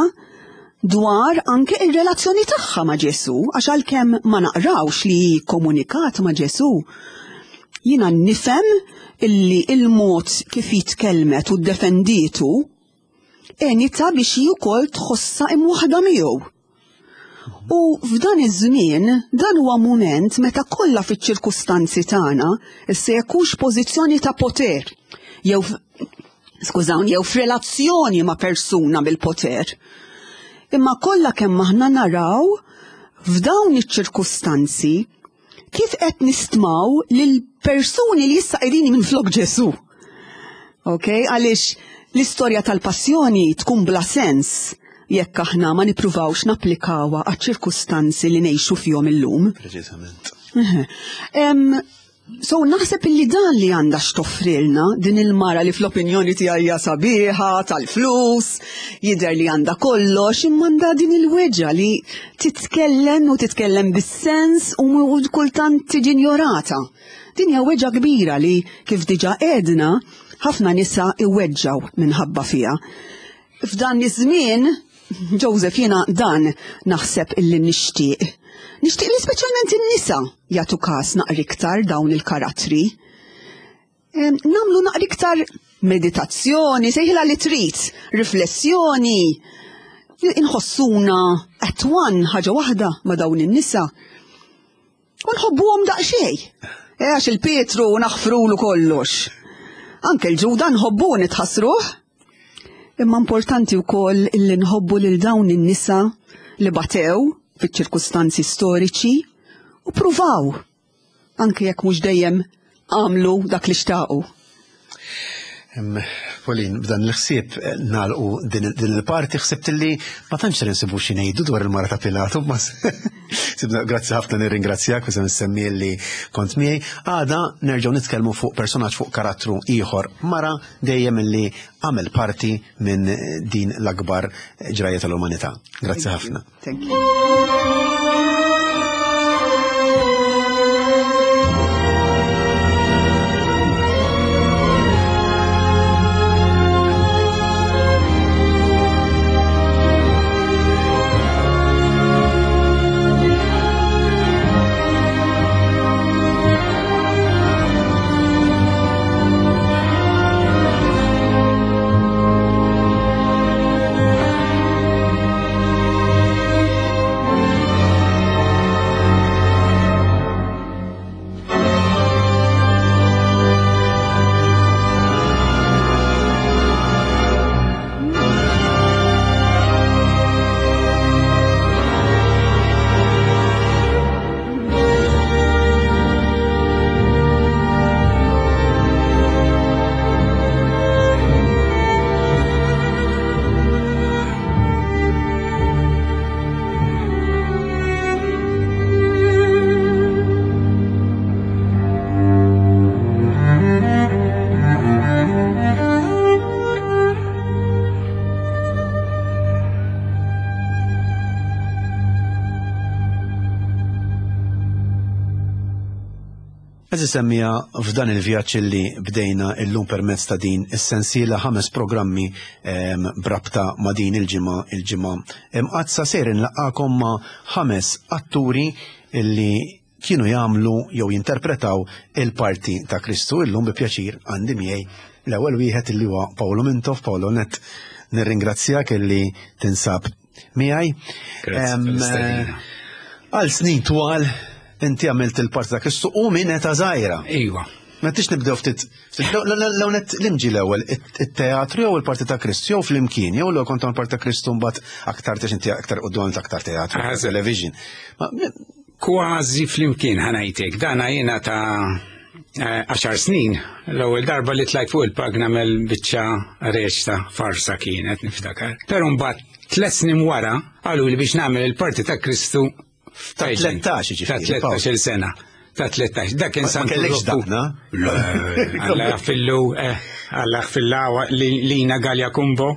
dwar anke ir-relazzjoni tagħha ma' Ġesu, għax għalkemm ma naqrawx li hi komunikat ma' Ġesu, jiena nifhem illi il-mod kif jitkellmet u ddefendietu għenitha biex hi wkoll tħossha imwaħda miegħu. U f'dan iż-żmien, dan huwa mument meta kollha fiċ-ċirkustanzi tagħna issa jekk hux pożizzjoni ta' poter jew skużawni, jew f'relazzjoni ma' persuna bil-poter. Imma kollha kemm aħna naraw f'dawn iċ-ċirkustanzi kif qed nistmaw lil persuni li issa qegħdin minflok Ġesu. Ok, għaliex l-istorja tal-passjoni tkun bla sens jekk aħna ma nippruvawx napplikawha għaċ-ċirkustanzi li ngħixu fihom illum. Preċiżament. So naħseb illi dan li għandha x'toffrilna din il-mara li fl-opinjoni tiegħi hija sabiħa, tal-flus, jidher li għandha kollox, imma għandha din il-weġġa li titkellem u titkellem bis-sens u kultant tiġi injorata. Din hija weġġa kbira li kif diġà għedna ħafna nisa iweġġaw minħabba fiha. F'dan iż-żmien, Joseph, jiena dan naħseb illi nixtieq. Nixtieq li speċjalment in-nisa jagħtu każ naqra iktar dawn il-karattri. Namlu naqra iktar meditazzjoni, sejħilha li trid, riflessjoni, inħossuna at one ħaġa waħda ma' dawn in-nisa. U nħobbuhom daqsxejn. Għax il-Pietru naħfrulu kollox. Anke l-Ġuda nħobbu nitħassruh. Imma importanti wkoll illi nħobbu lil dawn in-nisa li batew fiċ-ċirkustanzi storiċi u pruvaw, anke jekk mhux dejjem għamlu dak li xtaqu. Pauline, b'dan l-ħsieb nagħlqu din il-parti, ħsibt li ma tantx insibu xi ngħidu dwar il-mara ta' Pilatu, ma sibna, grazzi ħafna, nirringrazzjak u se nsemmi li kont miegħi. Għada nerġgħu nitkellmu fuq personaġġ, fuq karattru ieħor, mara dejjem illi għamel parti minn din l-akbar ġrajja tal-umanità. Grazzi ħafna. Thank you. Semmija f'dan il-vjaġġ li bdejna illum permezz ta' din is-sensiela ħames programmi brabta ma' din il-ġimgħa, il-ġimgħa imqaddsa, ser inlaqgħakom ma' ħames atturi illi kienu jagħmlu jew jinterpretaw il-parti ta' Kristu. Illum bi pjaċir għandi miegħi l-ewwel wieħed illi huwa Paolo Mintoff. Paolo, net nirringrazzjak illi tinsab miegħi. Għal snin twal inti għamilt il-parti ta' Kristu u minn età żgħira. Iva. Ma tix nibdew ftit, l-ewwel l-imġi l-ewwel, it-teatru jew il-parti ta' Kristu jew flimkien, jew l kont parti ta' Kristu mbagħad aktar tix inti aktar quddiem aktar teatru, television. Kważi flimkien ħanajtek, dana jiena ta' għaxar snin, l-ewwel darba li tlajt fuq il-pag nagħmel biċċa reċta farsa kienet niftakar. Però mbagħad tliet snin wara qalu li biex nagħmel il-parti ta' Kristu Ta' tlettax, ġifieri. Ta' tlettax-il sena. Ta' tlettax. Dak kien Santu Rokku. Ma Alla jaghfirlu, alla jaghfirla Lina Gallia Kumbo.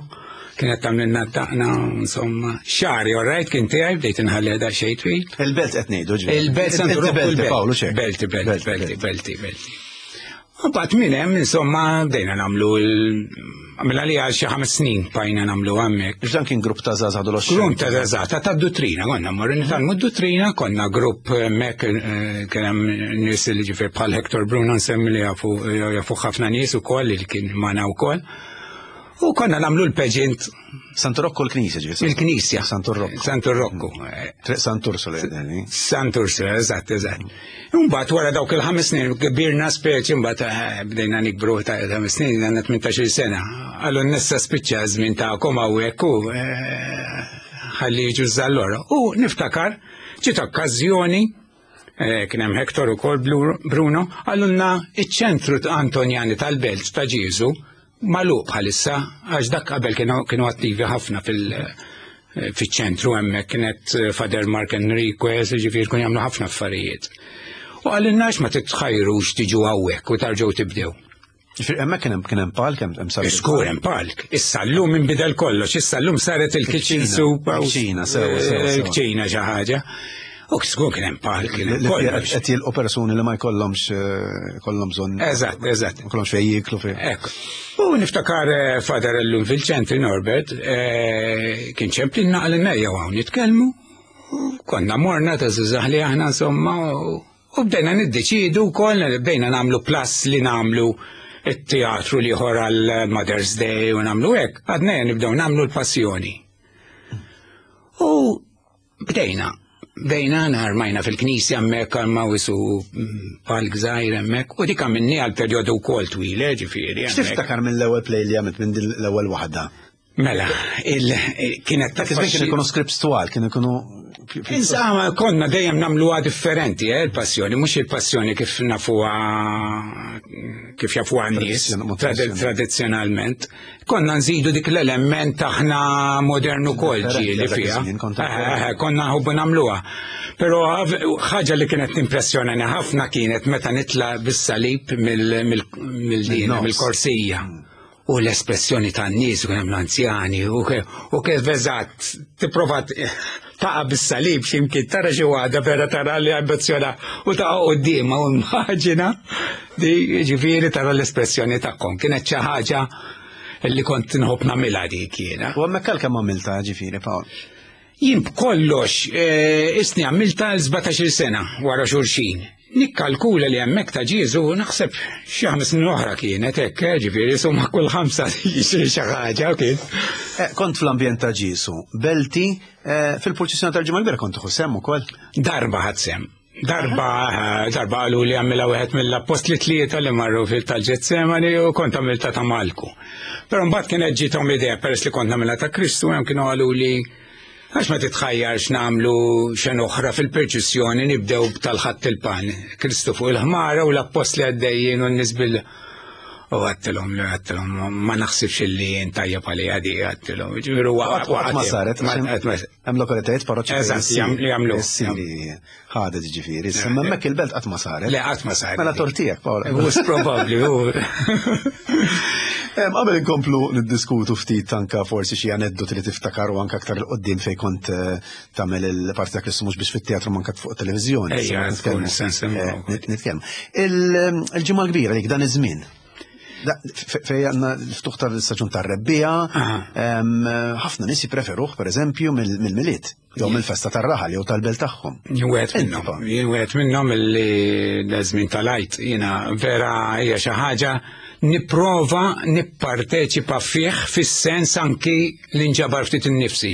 Kienet tagħmlilna taqna, insomma. Xari, all right, kien tiegħi, bdejt inħalli daqsxejn twil. Il-belt qed ngħidu, ġifieri. Il-belt Santu Rokku. Belti, Paolo, ċek. Belti, belti, belti, belti, belti. U bat minn hemm insomma bdejna nagħmlu għamilha li għal xi ħames snin bajna nagħmlu hemmhekk. Dan kien grupp ta' żgħażagħ adolescenti. Grupp ta' żgħażagħ ta' tad-duttrina konna mmorru nitgħallmu d-duttrina, konna grupp hemmhekk eh, kien hemm nies li ġifier bħal Hector Bruno nsemmi li jafu jafu ħafna nies ukoll li kien magħna wkoll. U konna nagħmlu l-pageant. Santu Rocco l-Knisja ġifieri. Il-Knisja. Santu Rocco. Santu Rocco. Triq Sant'Ursula jgħidni. Sant'Ursula, eżatt, eżatt. Imbagħad wara dawk il-ħames snin kbirna speċi mbagħad eh, bdejna nikbru ta' ħames snin għandna tmintax-il sena. Għallu nessa spiċċa żmien tagħkom hawnhekk u eh, ħalli jiġu żallora. U niftakar ġiet okkażjoni eh, kien hemm Hector ukoll Bruno, għallunna iċ-ċentru Antonjani tal-Belt ta' Ġieżu magħluq bħalissa għax dak qabel kienu attivi ħafna fil- fiċ-ċentru hemmhekk kienet Father Mark Enriquez, ġifieri kun jagħmlu ħafna affarijiet. U għalinna ma titħajrux tiġu hawnhekk u tarġgħu tibdew. Ġifieri hemmhekk kien hemm kien hemm palk hemm sar. Żgur hemm palk. Issa llum inbidel kollox, issa llum saret il-kitchen soup. Il-kċina, sewa, sewa. Il-kċina xi ħaġa. U żgur kien hemm palk, kien hemm kollox. Qed jilqu persuni li ma jkollhomx eh, kollhom bżonn. Eżatt, eżatt. Ma jkollhomx fejn jieklu fejn. Ekku. U niftakar eh, Father llum fil-ċentri Norbert, eh, kien ċemplinna għalinna jew hawn nitkellmu. U Konna morna ta' żgħażagħ li aħna insomma u u bdejna niddeċidu wkoll bdejna nagħmlu plus li nagħmlu it-teatru li ieħor għal Mother's Day u nagħmlu hekk, għadna nibdew nagħmlu l-passjoni. U bdejna, bdejna narmajna fil-knisja hemmhekk għal wisu palk żgħir hemmhekk u dik għamilni għal perjodu wkoll twil, eh, ġifieri. hemmhekk. X'tiftakar mill-ewwel play li għamilt minn din l-ewwel waħda? Mela, il kienet Dak iż-żmien kienu jkunu scripts twal, kienu jkunu Insomma, konna dejjem nagħmluha differenti, eh, il-passjoni, mhux il-passjoni kif nafuha kif jafuha n-nies Tradizzjon- tradizzjonalment. Konna nżidu dik l-element aħna modernu kol Differenti ġieli dak fiha. iż-żmien, kont Eh, eh, Konna nħobbu nagħmluha. Però ħaġa li kienet timpressjonani ħafna kienet meta nitla bis-salib mill-dina, Min-nofs. mill-korsija. U l-espressjoni tan-nies u kien hemm l-anzjani u ke- u kif eżatt tipprova t- taqa' bis-salib x'imkien tara xi waħda vera tara li ambizzjona u taqa' quddiemha u immaġina di ġifieri tara l-espressjoni tagħhom. Kienet xi ħaġa li kont nħobb nagħmilha dik jiena. U hemmhekk għal kemm għamilta ġifieri Pawl? Jien b'kollox eh, isni għamilta l-sbatax-il sena wara xulxin. Nikkalkula li hemmhekk ta' Ġieżu naħseb xi ħames snin oħra kienet hekk, eh, ġifieri summa kull ħamsa xi ħaġa kien. Eh, Kont fl-ambjent ta' Ġieżu, Belti, eh, fil-purċissjoni tal-Ġimgħa l-Kbira kont tieħu sehem ukoll. Darba ħadt sehem. Darba, darba qalu li għamilha wieħed mill-appostli tlieta li marru fil-tal-Ġetsemani u kont għamilta ta' Malku. Però mbagħad kienet ġiethom l-idea peress li kont nagħmilha ta' Kristu hemm kienu qalu li għax ma titħajjarx nagħmlu xena oħra fil-perċissjoni nibdew tal-Ħadd il-Palm. Kristu fuq il-ħmara u l-appostli għaddejjin u n-nies bil U għedtilhom, li għedtilhom, ma naħsibx li tajjeb għalija di għedtilhom. Ġifieri Qatt qatt ma saret, għax hemm lokalitajiet parroċċi Eżatt, jam- li jagħmlu. li ħadet ġifieri, imma hemmhekk il-belt qatt ma saret. Le, qatt ma saret. Mela tortijek, Pawl. Mhux probabbli, u. Em, Qabel inkomplu niddiskutu ftit anka forsi xi aneddoti li tiftakar u anka aktar 'il quddiem fejn kont eh, tagħmel il-parti ta' Kristu mhux biex fit-teatru manka fuq televiżjoni. Ejja, Nitkellmu. tkun sens Eh, nit- Nitkellmu. Il- Il-ġimgħa l-kbira dik dan iż-żmien. Da- fe- Fej għandna l-ftuħ tal-istaġun tar-rebbiegħa, Aha. em, ħafna nies jippreferuh pereżempju mill- mill-Milied, jew mill-festa tar-raħal jew tal-belt tagħhom. Jien wieħed Inti, minnhom, Pawl. jien wieħed minnhom illi da żmien tal-Għid jiena vera hija xi ħaġa nipprova nipparteċipa fih fis-sens anki li nġabar ftit innifsi.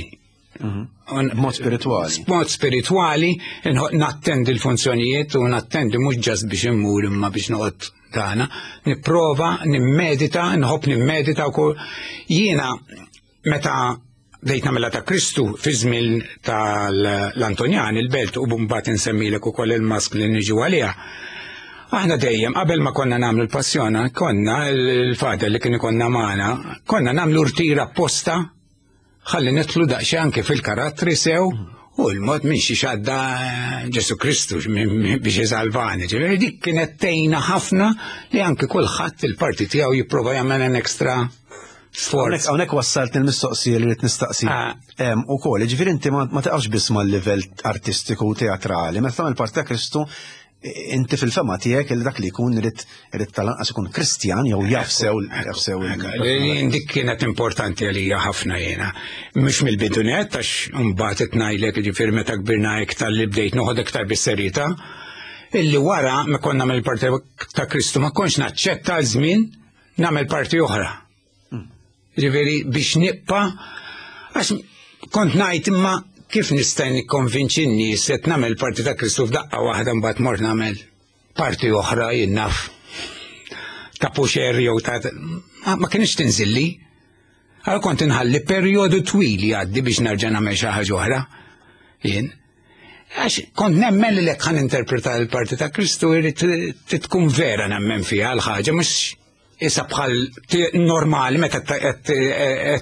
Un- B'mod spiritwali. B'mod spiritwali, nħo- nattendi l-funzjonijiet u nattendi mhux just biex immur imma biex noqgħod tagħna, nipprova, nimmedita, nħobb nimmedita wkoll. Jiena meta bdejt nagħmilha ta' Kristu fi żmien tal-Antonjan il-belt u mbagħad insemmilek ukoll il-mask li niġu għaliha. Aħna dejjem qabel ma konna nagħmlu l-passjona, konna il-father li kien ikonna magħna, konna nagħmlu rtira apposta ħalli nidħlu daqsxejn anke fil-karattri sew u l-mod minn xi xadda Ġesu Kristu biex isalvani. Ġifieri dik kienet tgħinna ħafna li anke kulħadd il-parti tiegħu jipprova jagħmel an extra sforz. Hawnhekk wassalt il-mistoqsija li rrid nistaqsi. Ah. Em, Ukoll, ġifieri inti ma ma taqafx biss mal-livell artistiku u teatrali, meta tagħmel parti ta' Kristu Inti fil-fema tiegħek li dak li jkun irid irid tal-anqas ikun Kristjan jew jaf sew jaf sew Dik kienet importanti għalija ħafna jiena. Mhux mill-bidu nett għax mbagħad qed ngħidlek jiġifieri meta kbirna iktar li bdejt noħod iktar bis-serjetà. Illi wara ma konna nagħmel parti ta' Kristu ma kontx naċċetta żmien nagħmel parti oħra. Ġifieri biex nibqa' għax kont ngħid imma kif nista' nikkonvinċi n-nies qed nagħmel parti ta' Kristu f'daqqa waħda mbagħad mort nagħmel parti oħra jien naf ta' puxer jew ta' ma kienx tinżilli. Għal kont inħalli perjodu twil jgħaddi biex nerġa' nagħmel xi ħaġa oħra. Jien. Għax kont nemmen li lek ħan interpreta l-parti ta' Kristu jrid tkun vera nemmen fiha l-ħaġa mhux issa bħal normali meta qed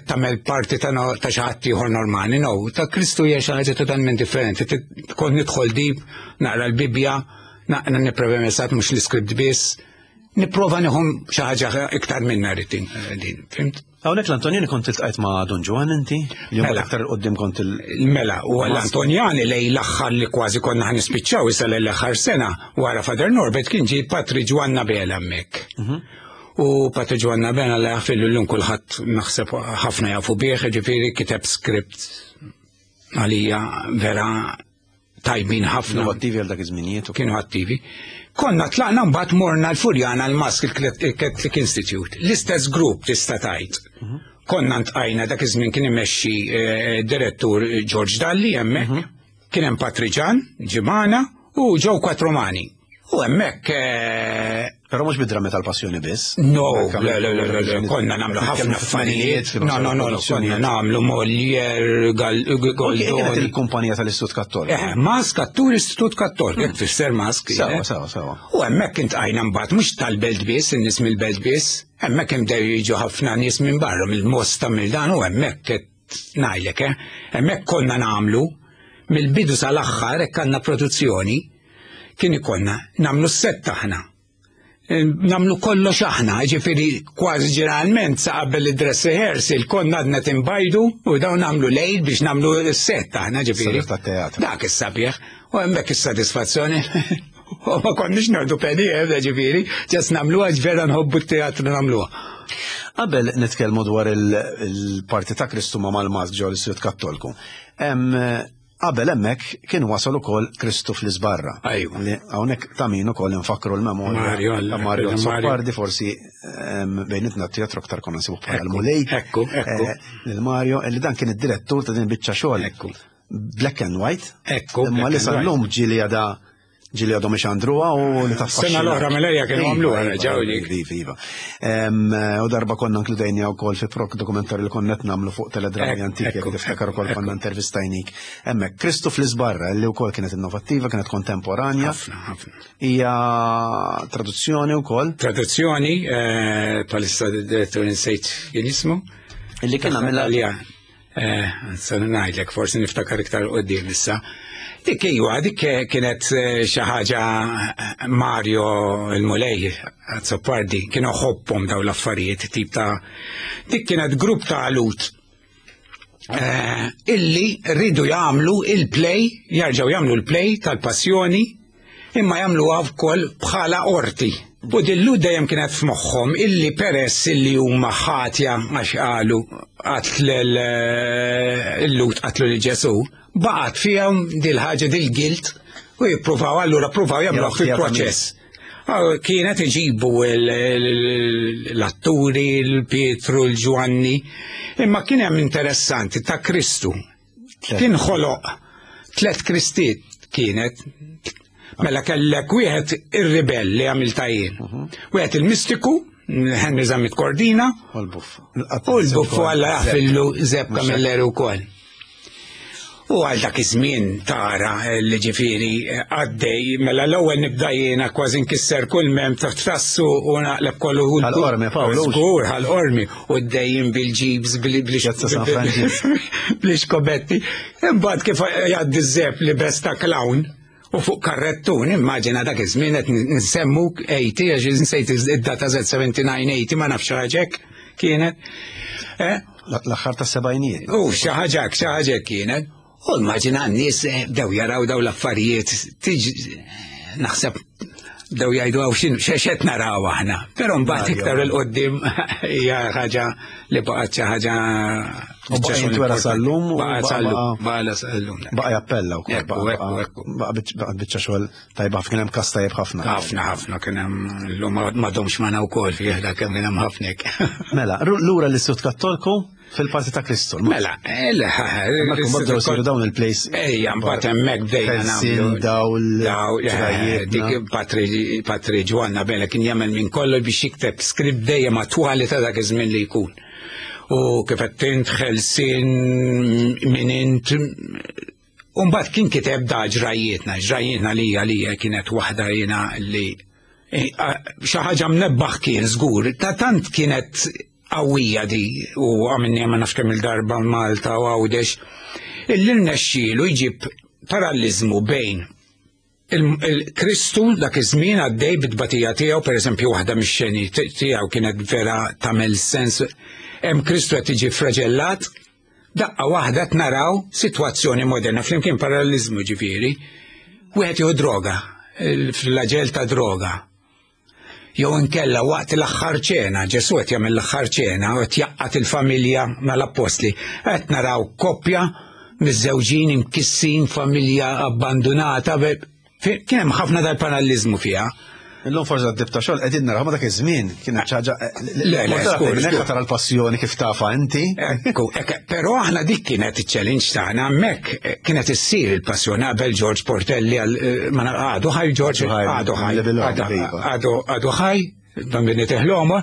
tagħmel parti ta' xi ħadd ieħor normali, no, ta' Kristu hija xi ħaġa totalment differenti. Kont nidħol deep, naqra l-Bibbja, naqra nipprova messat mhux l-iskript biss, nipprova nieħu xi ħaġa iktar minna rrid din, fimt? Hawnhekk l-Antonjani kont iltqajt ma' Dun Ġwann inti? Li Mela. aktar qudiem kont il- Mela, u l-Antonjani lej l-aħħar li kważi konna ħa nispiċċaw issa l-aħħar sena wara Father Norbert kien ġie Patri Ġwanna Bela hemmhekk. U Patri Ġwanna Bela li għafillu l-lum kulħadd naħseb ħafna jafu bih, ġifieri kiteb script għalija vera tajbin ħafna. Innovattivi għal dak iż-żminijiet. Kienu attivi. Konna tlaqna mbagħad morna l-Furjana l-Mask il-Catholic Institute. L-istess grupp tista' tgħid. Konna ntqajna dak iż-żmien kien imexxi eh, direttur George Dalli hemmhekk. Kien hemm Patri Ġan, Ġimana u ġew Quattromani. U hemmhekk eh, Però mhux bid-drammi tal-passjoni biss. No, le, le, le, le, le, konna nagħmlu ħafna affarijiet. No, no, no, no, konna nagħmlu Molière, Gal- Kienet Goldoni. il-kumpanija tal-Istitut Kattoliku. Eh, Mask attur Istitut Kattoliku, jekk tfisser Mask. Sawa, eh. sawa, sawa. U hemmhekk intqajna mbagħad mhux tal-belt biss, in-nies mill-belt biss, hemmhekk imdew jiġu ħafna nies minn barra, mill-Mosta mill-dan u hemmhekk qed ngħidlek, eh, hemmhekk konna nagħmlu mill-bidu sal-aħħar hekk għandna produzzjoni, kien ikollna nagħmlu s-set aħna. Nagħmlu kollox aħna, ġifieri kważi ġeneralment sa qabel id-dress rehearsal konna għadna timbajdu u dawn nagħmlu lejl biex nagħmlu s-set aħna ġifieri. Sabiħ tat-teatru. Dak is-sabiħ, u hemmhekk is-sodisfazzjoni. U ma konniex nieħdu penny, eh, ġifieri, ġas nagħmluha vera nħobbu t-teatru nagħmluha. Qabel nitkellmu dwar il-parti ta' Kristu ma' mal-Mask ġo l-Istitut Kattoliku. Em, Qabel hemmhekk kien wasal ukoll Kristu fl-Isbarra. Ajwa. Li hawnhekk ta' min ukoll nfakru l-memorja Mario, ta' Mario Mario. Azzopardi forsi em, bejnitna t-teatru aktar konna nsibu bħala Ekku, l-Mulej. ekku, ekku. Eh, Lil Mario, li dan kien id-direttur ta' din biċċa xogħol. Ekku. Black and white. Ekku, Imma black li and sal-lum ġieli għada ġieli għadhom ixandruha u li taffaxxina. Sena l-oħra Melejja kienu Iva, għamluha, iva, reġgħu dik. Iva, iva. Em, U darba konna inkludejni wkoll fi prok dokumentarju li konna qed nagħmlu fuq teledrami Ekku, antiki, jekk ekku, tiftakar ukoll ekku. konna intervistajnik. Hemmhekk Kristu fl-Isbarra li wkoll kienet innovattiva, kienet kontemporanja. Ħafna, ħafna. Hija traduzzjoni wkoll Traduzzjoni, eh, palissa direttur insejt kien jismu. illi kien għamilha Għalija. Eh, sa ngħidlek, forsi niftakar iktar qudiem issa. Dik iwa, dik kienet eh, xi ħaġa eh, Mario il-Mulej Azzopardi, kienu ħobbhom daw l-affarijiet tip ta' dik kienet grupp ta' alut eh, illi rridu jagħmlu il-play, jarġgħu jagħmlu l-play tal-passjoni, imma jagħmluha wkoll bħala orti. U dillu dejjem kienet f'moħħhom illi peress illi huma ħatja għax qalu qatl il-Lhud qatlu lil Ġesù, baqgħet fihom dil-ħaġa dil-guilt u jippruvaw allura pruvaw jagħmluh fil-proċess. Kienet iġibu l-atturi, l-Pietru, l-Ġwanni, imma kien hemm interessanti ta' Kristu. Kien ħoloq tlet Kristiet kienet. Mela kellek wieħed ir-ribell li għamilta jien. Wieħed il-mistiku, Henry Zammit Cordina, U l-buffu. u l-buffu Alla jaħfillu Zeb Camilleri wkoll. U għal dak iż-żmien tara li ġifieri għaddej, mela l-ewwel nibda jiena kważi nkisser kull mem taħt tassu u naqleb kollu hu. Ħal-Qormi, Paolo. Żgur, ħal-qormi. U d-dejjem bil-ġibs, Piazza San Franġisk. bl-iskobetti. Imbagħad kif jgħaddi ż-Zeb li besta clown u fuq karrettun, immaġina dak iż-żmien qed nsemmu tmenin, għax nsejt id-data Z sebgħa u sebgħin tmenin, ma nafx ħaġek kienet. Eh? L-aħħar ta' sebgħinijiet. U xi ħaġa xi ħaġa kienet. U immaġina n-nies eh, bdew jaraw daw l-affarijiet tiġi Naħseb bdew jgħidu għaw x'in x'qed naraw aħna. Però mbagħad iktar 'il quddiem hija ħaġa li baqgħet xi ħaġa. U baqa' jintwera sal-lum u Baqa' baqa'- sal-lum, baqa' sal-lum. Baqa' jappella wkoll. Ekku, Baqa' ekku, ekku. baqa' biċ- biċċa xogħol tajba, kien hemm cast tajjeb ħafna. Ħafna, ħafna kien hemm, llum m'għadhomx magħna wkoll fih dak kemm kien hemm ħafna hekk. Mela, ru- lura l-Istitut Kattolku fil-parti ta' Kristu. Mela, eh, le, Hemmhekk imbagħad bdew isiru dawn il-plays. Ejja, mbagħad hemmhekk bdejna Ħelsin, nagħmlu. dawl, Daw, eh, ġrajietna. dik Patri Patri Ġwanna Bella kien jagħmel minn kollox biex jikteb script dejjem attwali ta' dak iż-żmien li jkun. U kif qed int ħelsin minn int. U mbagħad kien kiteb da ġrajietna, ġrajietna li għalija kienet waħda jiena li eh, xi ħaġa mnebbaħ kien żgur, ta' tant kienet qawwija di u għamilni ma nafx kemm il-darba Malta u Għawdex, illi rnexxielu jġib parallizmu bejn il-Kristu dak iż-żmien għaddej bit-tbatija tiegħu, pereżempju waħda mix-xeni tiegħu kienet vera tagħmel sens. Hemm Kristu qed jiġi fraġellat, daqqa waħda naraw sitwazzjoni moderna flimkien parallizmu ġifieri, wieħed jieħu droga, il-flagell ta' droga. Jew inkella waqt l-aħħar ċena, Ġesu qed jagħmel l-aħħar ċena u qed jaqgħad il-familja mal-appostli. Qed naraw koppja miżżewġin imkissin, familja abbandonata, be- fi- kien hemm ħafna dal-parallizmu fiha. Illum forsi għad ta' xogħol qegħdin naraw ma dak iż-żmien kienet xi ħaġa. Le, le, żgur, żgur. Tara l-passjoni kif tafa inti. Ekku, ekku, però aħna dik kienet il-challenge tagħna, hemmhekk eh, kienet issir il-passjoni qabel George Portelli għal eh, ma na- għadu ħaj George, Għadu ħaj, għadu ħaj, level għadu- iva. għadu għadu ħaj, dan bin teħloma,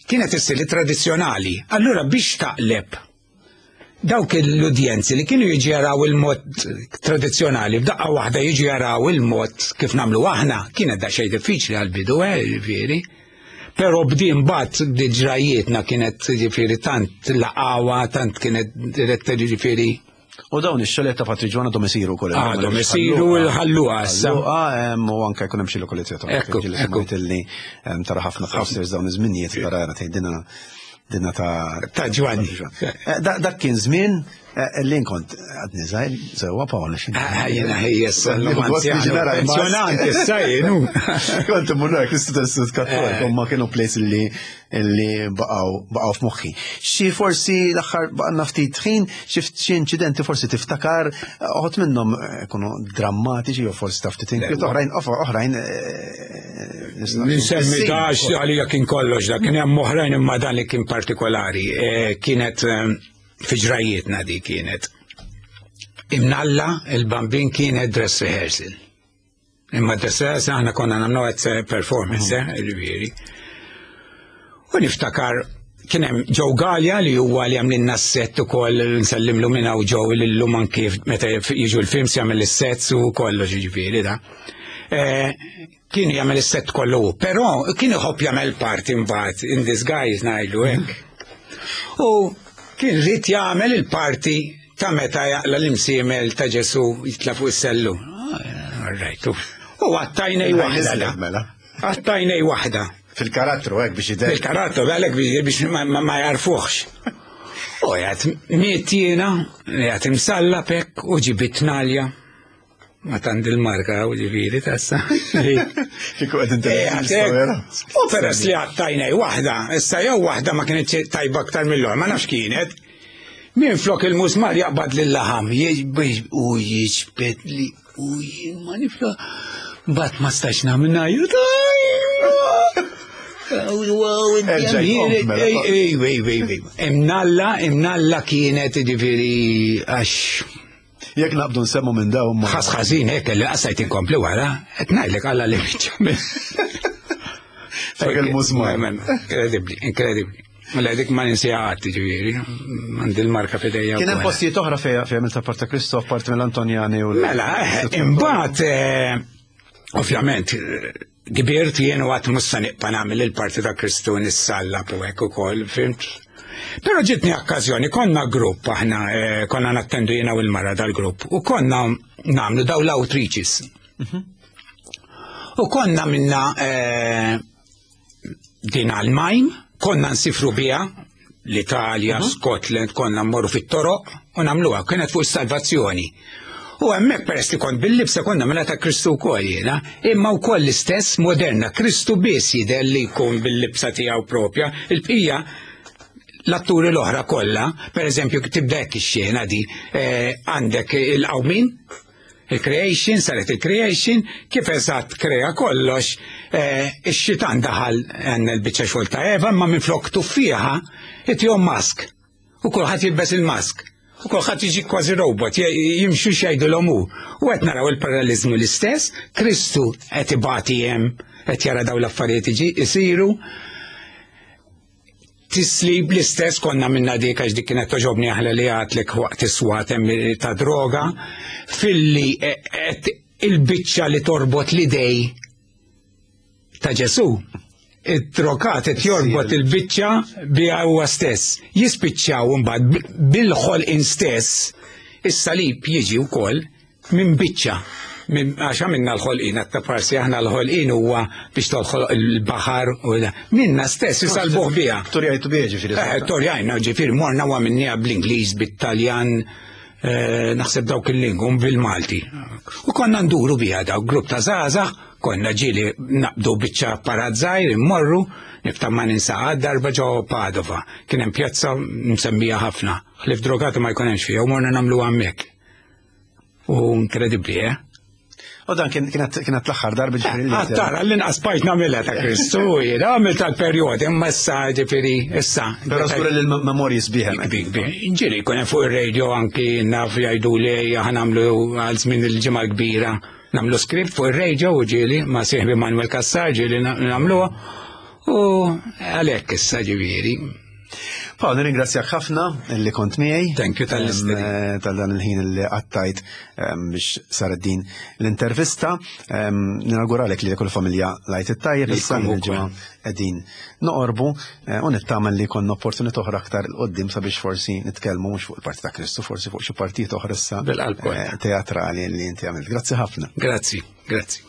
kienet issir tradizzjonali. Allura biex taqleb dawk l-udjenzi li kienu jiġi jaraw il-mod tradizzjonali, f'daqqa waħda jiġi jaraw il-mod kif nagħmlu aħna, kienet da xejn diffiċli għal-bidu, eh, ġifieri. Però bdien bat ġrajietna kienet ġifieri tant laqawa, tant kienet diretta ġifieri. U dawn ix-xogħlijiet ta' Patri Ġwanna għadhom isiru wkoll. Għadhom isiru l-ħalluha issa. Ħalluha em, u anke jkun hemm xi lokalizzazzjoni. Ekku, ekku. Illi em, tara ħafna posters dawn iż-żminijiet tara tgħid dina dinna ta' Ta' Ġwanni. Eh, da- Dak kien żmien eh, li nkont għadni żgħir sewwa Pawl. Ah, Jena ħejjes, nara l-mask. pensjonanti, issa jienu. Kont immur nara Kristu tal-Istitut Kattoliku, ma kienu plays li li baqgħu baqgħu f'moħħi. Xi forsi l-aħħar baqgħna ftit ħin, xi xi inċidenti forsi tiftakar, uħud minnhom eh, kunu drammatiċi jew forsi ta' ftit inkwiet, oħrajn oħrajn eh, nistgħu- Nsemmi dax għalija kien kollox da, kien hemm oħrajn imma dan li kien partikolari. Eh, Kienet eh, fi ġrajietna di kienet. Imnalla il-bambin kienet dress rehearsal. Imma dress rehearsal aħna konna nagħmlu għed performance, eh, ġifieri. U niftakar kien hemm Joe Gallia li huwa li għamlilna s-set ukoll nsellimlu minn hawn Joe li llum anki meta jiġu l-films jagħmel is-sets u kollox ġifieri da. Eh, Kien jagħmel is-set kollu hu, però kien iħobb jagħmel parti mbagħad in disguise ngħidlu hekk. U kien rid jagħmel il-parti ta' meta jaqla l-imsiemel ta' Ġesu jitla fuq is-sellu. Ah, All right. U għattajnej waħda. da. Mela. Għattajnej waħda. Fil-karattru hekk biex jidher. Bil-karattru, għalek biex ma, ma, ma jarfuħx. U jgħat miet jiena, jgħat imsalla pek u ġibit nalja. Ma tand il-marka u ġifiri tassa. Kieku qed Eh, U peress li għattajnej waħda, issa jew waħda ma kienet tajba aktar mill-oħra, ma nafx kienet. Min flok il-musmar jaqbad lill-laħam, jiġbid u jiġbed li u jien ma nifla. Bat ma stax nagħmel ngħajjat. Erġa' jqom, mela. Ej, ej, ej, ej. Imnalla, imnalla kienet ġifieri għax Jekk naqbdu nsemmu minn dawn ma. ħas ħażin hekk li qasajt inkompli wara, qed ngħidlek Alla li biċċa. Dak il-musmar. Inkredibbli, inkredibbli. Mela dik ma ninsiha qatt ġifieri, għandi l-marka f'idejja. Kien hemm wkoll. postijiet oħra fejn fejn għamilt parta Kristo apparti mill-Antonjani u l- Mela, eh, imbagħad eh, ovvjament eh, kbirt jien u għat mussa nibqa' nagħmel il-parti ta' Kristu nissalla u hekk ukoll, fimt? Però ġitni okkażjoni, konna grupp aħna, eh, konna nattendu jiena u l-mara dal-grupp u konna nagħmlu daw l-outreaches. U konna minna eh, din għal-majm, konna nsifru biha l-Italja, Scotland, konna mmorru fit-toroq u nagħmluha, kienet fuq is-salvazzjoni. U hemmhekk peress li kont bil-libsa konna mela ta' Kristu wkoll jiena, imma wkoll l-istess moderna, Kristu biss jidher li jkun bil-libsa tiegħu propja, il-bqija l-atturi l-oħra kollha, pereżempju tibda hekk ix-xena di, għandek il-qawmin, il-creation, saret il-creation, kif eżatt krea kollox, ix-xitan daħal għandna l-biċċa xogħol ta' Eva, imma minflok tuffieħa itihom mask. U kulħadd jilbes il-mask. U kulħadd jiġi kważi robot, jimxu x'jgħidulhom hu. U qed naraw il-paralleliżmu l-istess, Kristu qed ibati hemm, qed jara dawn l-affarijiet iġi isiru. Tislib l-istess konna minna dik għax dik kienet toġobni aħla li għatlek waqt is-swat hemm ta' droga, filli qed il-biċċa li torbot l-idej ta' Ġesu. Id-drogat qed jorbot il-biċċa biha huwa stess. Jispiċċaw imbagħad bil-ħolqien stess, is-salib jiġi wkoll minn biċċa. Għax minna l-ħolqien, għatta parsi aħna l-ħolqien huwa biex toħloq il-baħar u minna stess isalbuh biha. Torjajtu biha ġifieri. Torjajna ġifieri morna huwa minnija bl-Ingliż, bit-Taljan, naħseb dawk il-lingum bil-Malti. U konna nduru biha dawk grupp ta' żgħażagħ, konna ġieli naqbdu biċċa apparat żgħir immorru, niftaħ ma ninsa darba ġo Padova. Kien hemm pjazza msemmija ħafna, ħlief drogati ma jkun hemmx fiha u morna nagħmlu hemmhekk. U inkredibbli, eh? U dan kienet l-aħħar darba ġifieri li. Tara, l-inqas bajt nagħmilha ta' Kristu, jiena għamilt tal-perjodi, imma issa ġifieri issa. Però żgur li l-memorji sbieħ. Ġieli jkun hemm fuq ir-radio anki naf jgħidu li aħna nagħmlu għal żmien il-ġimgħa kbira. Nagħmlu script fuq ir-radio u ġieli ma' sieħbi Manuel Cassar ġieli nagħmluha u għalhekk issa ġifieri. Paul, nirringrazzjak ħafna li kont miegħi. Thank you tal-istedina. Tal dan il-ħin li qattajt biex saret din l-intervista. Ninawguralek li kull familja lajt it-tajjeb issa il-ġimgħa qegħdin noqorbu u nittama li jkollna opportunità oħra aktar 'il quddiem sabiex forsi nitkellmu mhux fuq il-parti ta' Kristu, forsi fuq xi partijiet oħra issa teatrali li inti għamilt. Grazzi ħafna. Grazzi, grazzi.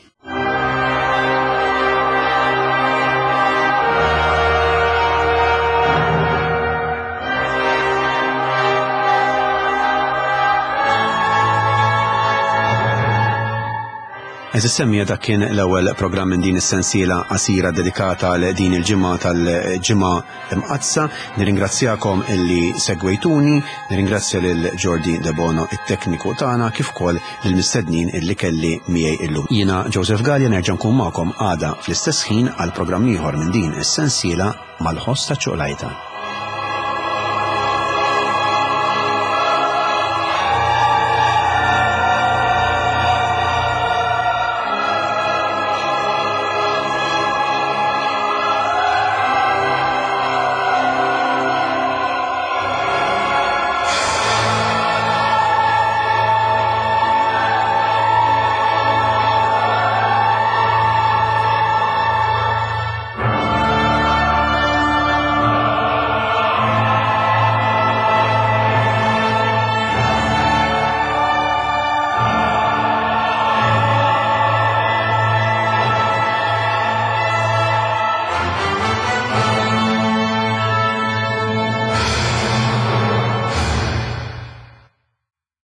Eżis semmija dak kien l-ewwel programm minn din is-sensiela qasira dedikata għal din il-ġimgħa tal-ġimgħa Imqaddsa. Nirringrazzjakom illi segwejtuni, nirringrazzja lil Jordi Debono it-tekniku tagħna kif ukoll lill-mistednin illi kelli miegħi illum. Jiena Joseph Gallia nerġa' nkun magħkom għada fl-istess ħin għal programm ieħor minn din is-sensiela mal-ħoss ta' ċuqlajta.